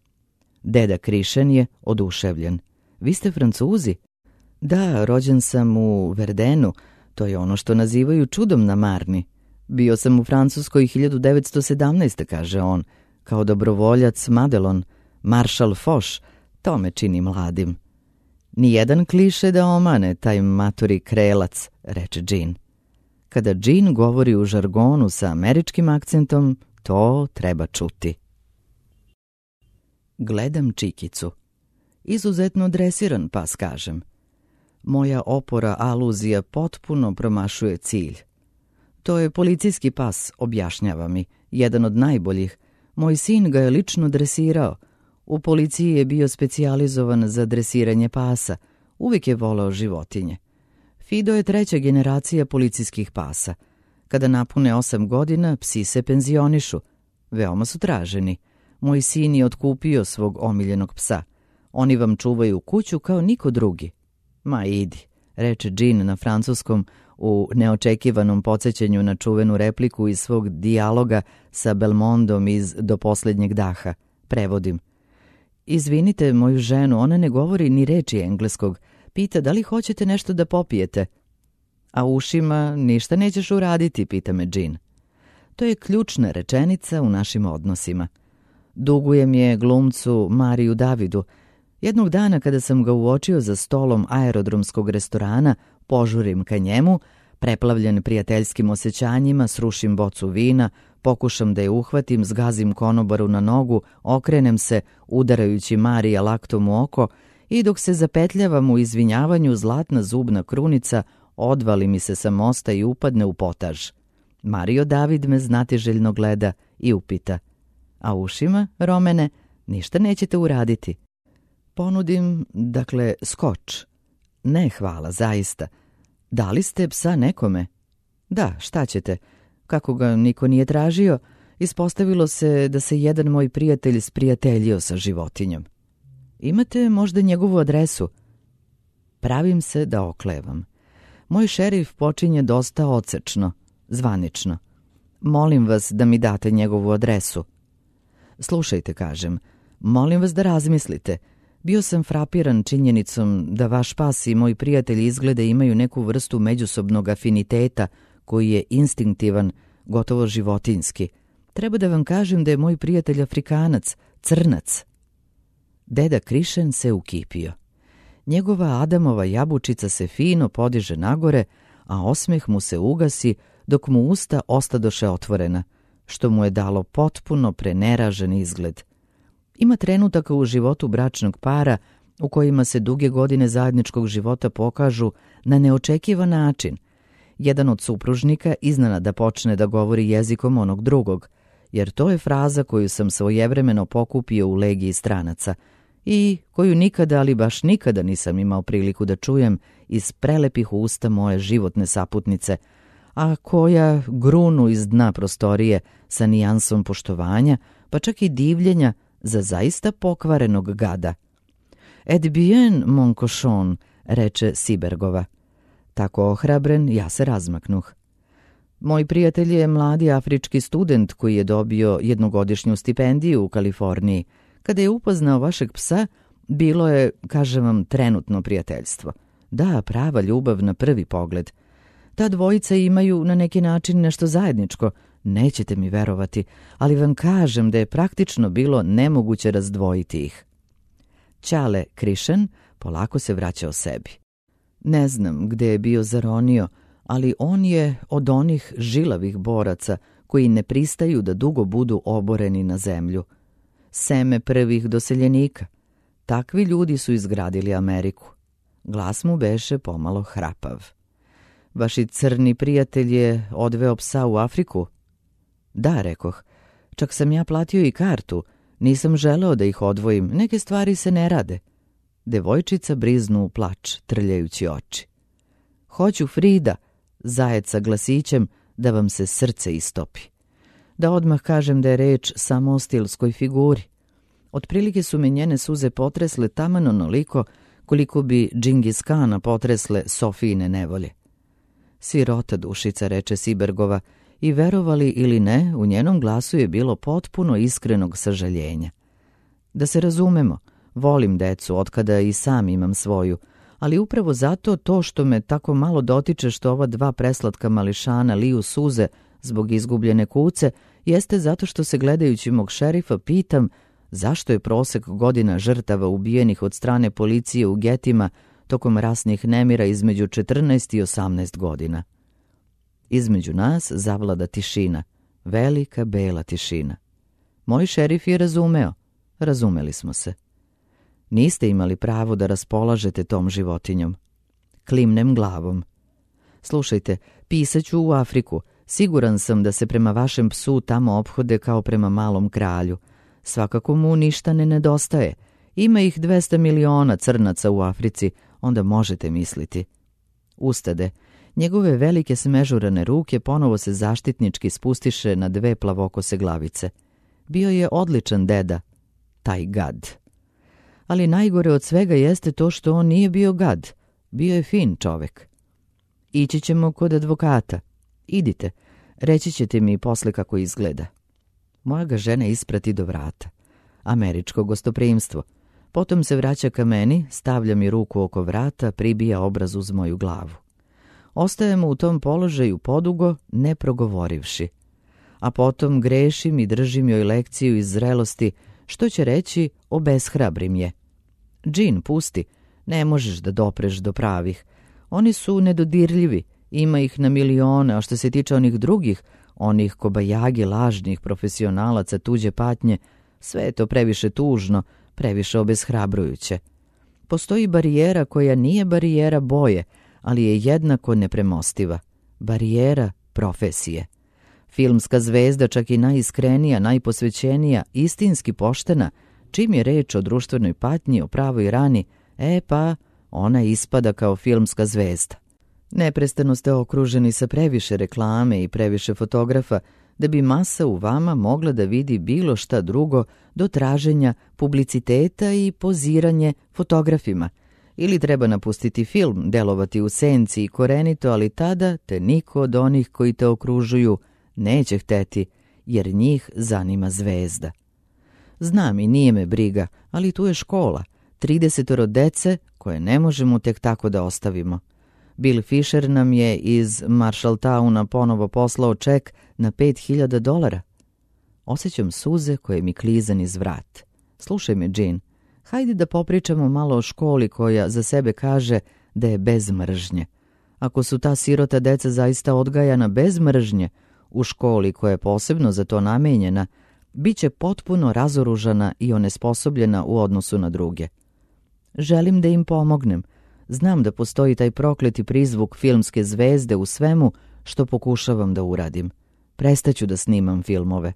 Deda Krišen je oduševljen. Vi ste Francuzi? Da, rođen sam u Verdenu, to je ono što nazivaju čudom na Marni. Bio sam u Francuskoj 1917. kaže on, kao dobrovoljac Madelon, maršal Foch, to me čini mladim. Nijedan kliše da omane taj maturi krelac, reče Jean. Kada Jean govori u žargonu sa američkim akcentom, to treba čuti. Gledam Čikicu. Izuzetno dresiran pas, kažem. Moja opora aluzija potpuno promašuje cilj. To je policijski pas, objašnjava mi, jedan od najboljih. Moj sin ga je lično dresirao. U policiji je bio specijalizovan za dresiranje pasa. Uvijek je voleo životinje. Fido je 3. generacija policijskih pasa. Kada napune 8 godina, psi se penzionišu. Veoma su traženi. Moj sin je otkupio svog omiljenog psa. Oni vam čuvaju kuću kao niko drugi. Ma idi, reče Jean na francuskom u neočekivanom podsjećanju na čuvenu repliku iz svog dijaloga sa Belmondom iz Do posljednjeg daha. Prevodim. Izvinite moju ženu, ona ne govori ni reči engleskog. Pita da li hoćete nešto da popijete. A ušima ništa nećeš uraditi, pita me Jean. To je ključna rečenica u našim odnosima. Dugujem je glumcu Mariju Davidu. Jednog dana kada sam ga uočio za stolom aerodromskog restorana, požurim ka njemu, preplavljen prijateljskim osjećanjima, srušim bocu vina, pokušam da je uhvatim, zgazim konobaru na nogu, okrenem se, udarajući Marija laktom u oko, i dok se zapetljavam u izvinjavanju, zlatna zubna krunica odvali mi se sa mosta i upadne u potaž. Mario David me znatiželjno gleda i upita. A ušima, Romene, ništa nećete uraditi. Ponudim, skoč. Ne, hvala, zaista. Dali ste psa nekome? Da, šta ćete? Kako ga niko nije tražio, ispostavilo se da se jedan moj prijatelj sprijateljio sa životinjom. Imate možda njegovu adresu? Pravim se da oklevam. Moj šerif počinje dosta odsečno, zvanično. Molim vas da mi date njegovu adresu. Slušajte, kažem, molim vas da razmislite. Bio sam frapiran činjenicom da vaš pas i moj prijatelj izglede imaju neku vrstu međusobnog afiniteta koji je instinktivan, gotovo životinjski. Treba da vam kažem da je moj prijatelj Afrikanac, crnac. Deda Krišen se ukipio. Njegova Adamova jabučica se fino podiže nagore, a osmeh mu se ugasi dok mu usta ostadoše otvorena, što mu je dalo potpuno preneražen izgled. Ima trenutaka u životu bračnog para u kojima se duge godine zajedničkog života pokažu na neočekivan način. Jedan od supružnika iznenada počne da govori jezikom onog drugog, jer to je fraza koju sam svojevremeno pokupio u legiji stranaca i koju nikada, ali baš nikada nisam imao priliku da čujem iz prelepih usta moje životne saputnice, a koja grunu iz dna prostorije sa nijansom poštovanja, pa čak i divljenja za zaista pokvarenog gada. Et bien, mon cochon, reče Sibergova. Tako ohrabren, ja se razmaknuh. Moj prijatelj je mladi afrički student koji je dobio jednogodišnju stipendiju u Kaliforniji. Kada je upoznao vašeg psa, bilo je, kažem vam, trenutno prijateljstvo. Da, prava ljubav na prvi pogled. Ta dvojica imaju na neki način nešto zajedničko. Nećete mi verovati, ali vam kažem da je praktično bilo nemoguće razdvojiti ih. Ćale Krišen polako se vraćao sebi. Ne znam gde je bio zaronio, ali on je od onih žilavih boraca koji ne pristaju da dugo budu oboreni na zemlju. Seme prvih doseljenika. Takvi ljudi su izgradili Ameriku. Glas mu beše pomalo hrapav. Vaši crni prijatelj je odveo psa u Afriku? Da, rekoh. Čak sam ja platio i kartu. Nisam želeo da ih odvojim. Neke stvari se ne rade. Devojčica briznu u plač, trljajući oči. Hoću, Frida, zajed sa glasićem, da vam se srce istopi. Da odmah kažem da je reč samo o stilskoj figuri. Otprilike su me njene suze potresle taman onoliko koliko bi Džingis Kana potresle Sofijine nevolje. Sirota dušica, reče Sibergova, i verovali ili ne, u njenom glasu je bilo potpuno iskrenog sažaljenja. Da se razumemo, volim decu otkada i sam imam svoju, ali upravo zato to što me tako malo dotiče što ova dva preslatka mališana liju suze zbog izgubljene kuce, jeste zato što se gledajući mog šerifa pitam Zašto je prosek godina žrtava ubijenih od strane policije u getima tokom rasnih nemira između 14 i 18 godina? Između nas zavlada tišina, velika bela tišina. Moj šerif je razumeo. Razumeli smo se. Niste imali pravo da raspolažete tom životinjom. Klimnem glavom. Slušajte, pisaću u Afriku. Siguran sam da se prema vašem psu tamo ophode kao prema malom kralju. Svakako mu ništa ne nedostaje. Ima ih 200 miliona crnaca u Africi, onda možete misliti. Ustade. Njegove velike smežurane ruke ponovo se zaštitnički spustiše na 2 plavokose glavice. Bio je odličan deda, taj gad. Ali najgore od svega jeste to što on nije bio gad. Bio je fin čovek. Ići ćemo kod advokata. Idite, reći ćete mi posle kako izgleda. Moja ga žena isprati do vrata. Američko gostoprimstvo. Potom se vraća ka meni, stavlja mi ruku oko vrata, pribija obraz uz moju glavu. Ostajemo u tom položaju podugo, ne progovorivši. A potom grešim i držim joj lekciju iz zrelosti, što će reći obeshrabrim je. Džin, pusti, ne možeš da dopreš do pravih. Oni su nedodirljivi, ima ih na milione, a što se tiče onih drugih, onih kobajagi lažnih profesionalaca tuđe patnje, sve je to previše tužno, previše obeshrabrujuće. Postoji barijera koja nije barijera boje, ali je jednako nepremostiva. Barijera profesije. Filmska zvezda, čak i najiskrenija, najposvećenija, istinski poštena, čim je reč o društvenoj patnji, o pravoj rani, pa ona ispada kao filmska zvezda. Neprestano ste okruženi sa previše reklame i previše fotografa, da bi masa u vama mogla da vidi bilo šta drugo do traženja publiciteta i poziranje fotografima. Ili treba napustiti film, delovati u senci i korenito, ali tada te niko od onih koji te okružuju neće hteti, jer njih zanima zvezda. Znam i nije me briga, ali tu je škola, 30 dece koje ne možemo tek tako da ostavimo. Bill Fisher nam je iz Marshalltowna ponovo poslao ček na $5.000. Osjećam suze koje mi kliza niz vrat. Slušaj me, Jean, hajde da popričamo malo o školi koja za sebe kaže da je bez mržnje. Ako su ta sirota deca zaista odgajana bez mržnje, u školi koja je posebno za to namenjena, bit će potpuno razoružana i onesposobljena u odnosu na druge. Želim da im pomognem. Znam da postoji taj prokleti prizvuk filmske zvezde u svemu što pokušavam da uradim. Prestaću da snimam filmove.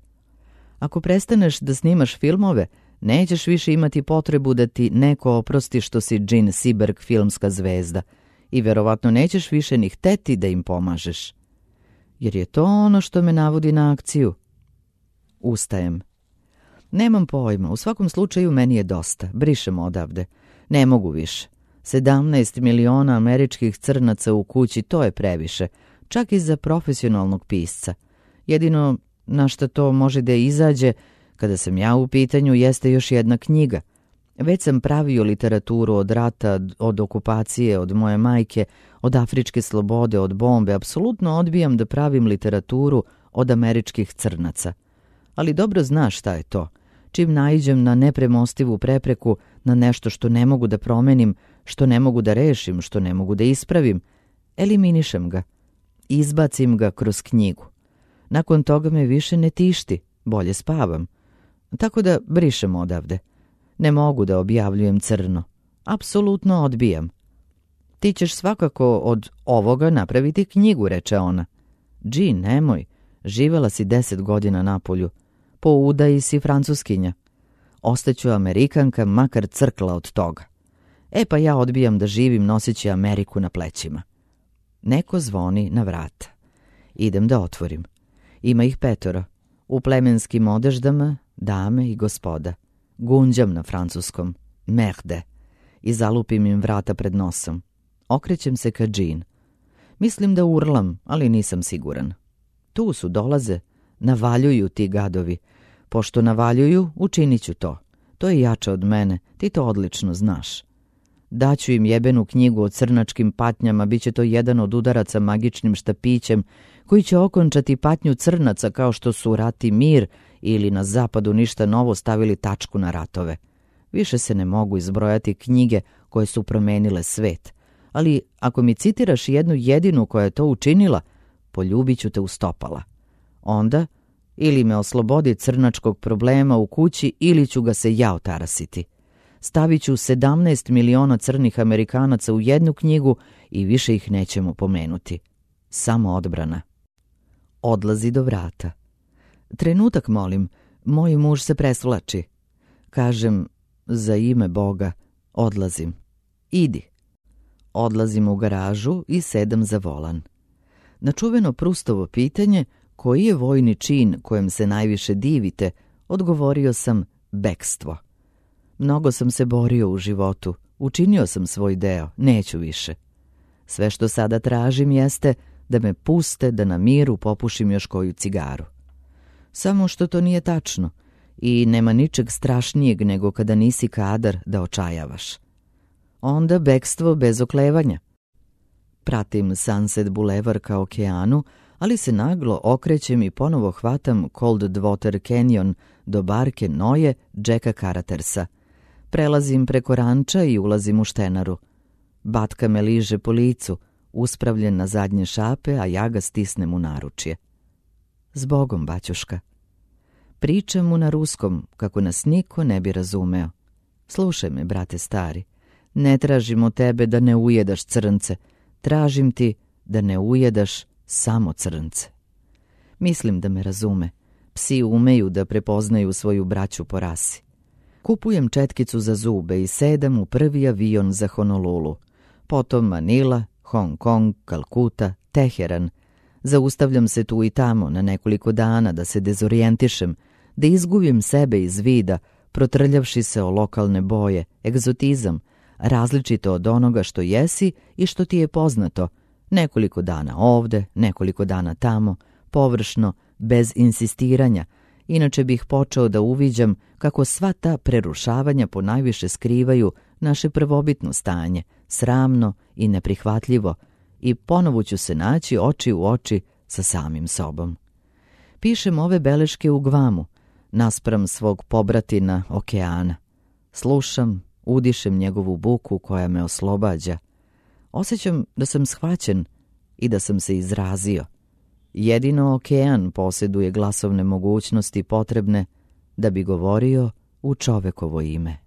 Ako prestaneš da snimaš filmove, nećeš više imati potrebu da ti neko oprosti što si Jean Seberg filmska zvezda i verovatno nećeš više ni hteti da im pomažeš. Jer je to ono što me navodi na akciju. Ustajem. Nemam pojma, u svakom slučaju meni je dosta. Brišem odavde. Ne mogu više. 17 miliona američkih crnaca u kući, to je previše, čak i za profesionalnog pisca. Jedino na što to može da izađe, kada sam ja u pitanju, jeste još jedna knjiga. Već sam pravio literaturu od rata, od okupacije, od moje majke, od afričke slobode, od bombe. Apsolutno odbijam da pravim literaturu od američkih crnaca. Ali dobro znaš šta je to. Čim naiđem na nepremostivu prepreku, na nešto što ne mogu da promenim, što ne mogu da rešim, što ne mogu da ispravim, eliminišem ga. Izbacim ga kroz knjigu. Nakon toga me više ne tišti, bolje spavam. Tako da brišem odavde. Ne mogu da objavljujem crno. Apsolutno odbijam. Ti ćeš svakako od ovoga napraviti knjigu, reče ona. Jean, nemoj, živela si 10 godina napolju. Po udaji si francuskinja. Ostaću Amerikanka, makar crkla od toga. Pa ja odbijam da živim noseći Ameriku na plećima. Neko zvoni na vrata. Idem da otvorim. Ima ih 5. U plemenskim odeždama, dame i gospoda. Gunđam na francuskom. Merde. I zalupim im vrata pred nosom. Okrećem se ka Jean. Mislim da urlam, ali nisam siguran. Tu su, dolaze. Navaljuju ti gadovi. Pošto navaljuju, učinit ću to. To je jače od mene, ti to odlično znaš. Daću im jebenu knjigu o crnačkim patnjama, bit će to jedan od udaraca magičnim štapićem, koji će okončati patnju crnaca kao što su rat i mir ili na zapadu ništa novo stavili tačku na ratove. Više se ne mogu izbrojati knjige koje su promenile svet, ali ako mi citiraš jednu jedinu koja je to učinila, poljubit ću te u stopala. Onda ili me oslobodi crnačkog problema u kući ili ću ga se ja otarasiti. Stavit ću 17 miliona crnih Amerikanaca u jednu knjigu i više ih nećemo pomenuti. Samo odbrana. Odlazi do vrata. Trenutak, molim, moj muž se presvlači. Kažem, za ime Boga, odlazim. Idi. Odlazim u garažu i sedam za volan. Na čuveno Prustovo pitanje, koji je vojni čin kojem se najviše divite, odgovorio sam bekstvo. Mnogo sam se borio u životu, učinio sam svoj deo, neću više. Sve što sada tražim jeste da me puste da na miru popušim još koju cigaru. Samo što to nije tačno i nema ničeg strašnijeg nego kada nisi kadar da očajavaš. Onda bekstvo bez oklevanja. Pratim Sunset Boulevard ka okeanu, ali se naglo okrećem i ponovo hvatam Coldwater Canyon do barke Noje Jacka Caratersa. Prelazim preko ranča i ulazim u štenaru. Batka me liže po licu, uspravljen na zadnje šape, a ja ga stisnem u naručje. Zbogom, baćuška. Pričam mu na ruskom, kako nas niko ne bi razumeo. Slušaj me, brate stari, ne tražim od tebe da ne ujedaš crnce, tražim ti da ne ujedaš samo crnce. Mislim da me razume. Psi umeju da prepoznaju svoju braću po rasi. Kupujem četkicu za zube i sedam u prvi avion za Honolulu. Potom Manila, Hong Kong, Kalkuta, Teheran. Zaustavljam se tu i tamo na nekoliko dana da se dezorijentišem, da izgubim sebe iz vida, protrljavši se o lokalne boje, egzotizam, različito od onoga što jesi i što ti je poznato, nekoliko dana ovde, nekoliko dana tamo, površno, bez insistiranja, inače bih počeo da uviđam kako sva ta prerušavanja ponajviše skrivaju naše prvobitno stanje, sramno i neprihvatljivo, i ponovo ću se naći oči u oči sa samim sobom. Pišem ove beleške u Gvamu, naspram svog pobratina okeana. Slušam, udišem njegovu buku koja me oslobađa. Osjećam da sam shvaćen i da sam se izrazio. Jedino okean posjeduje glasovne mogućnosti potrebne da bi govorio u čovekovo ime.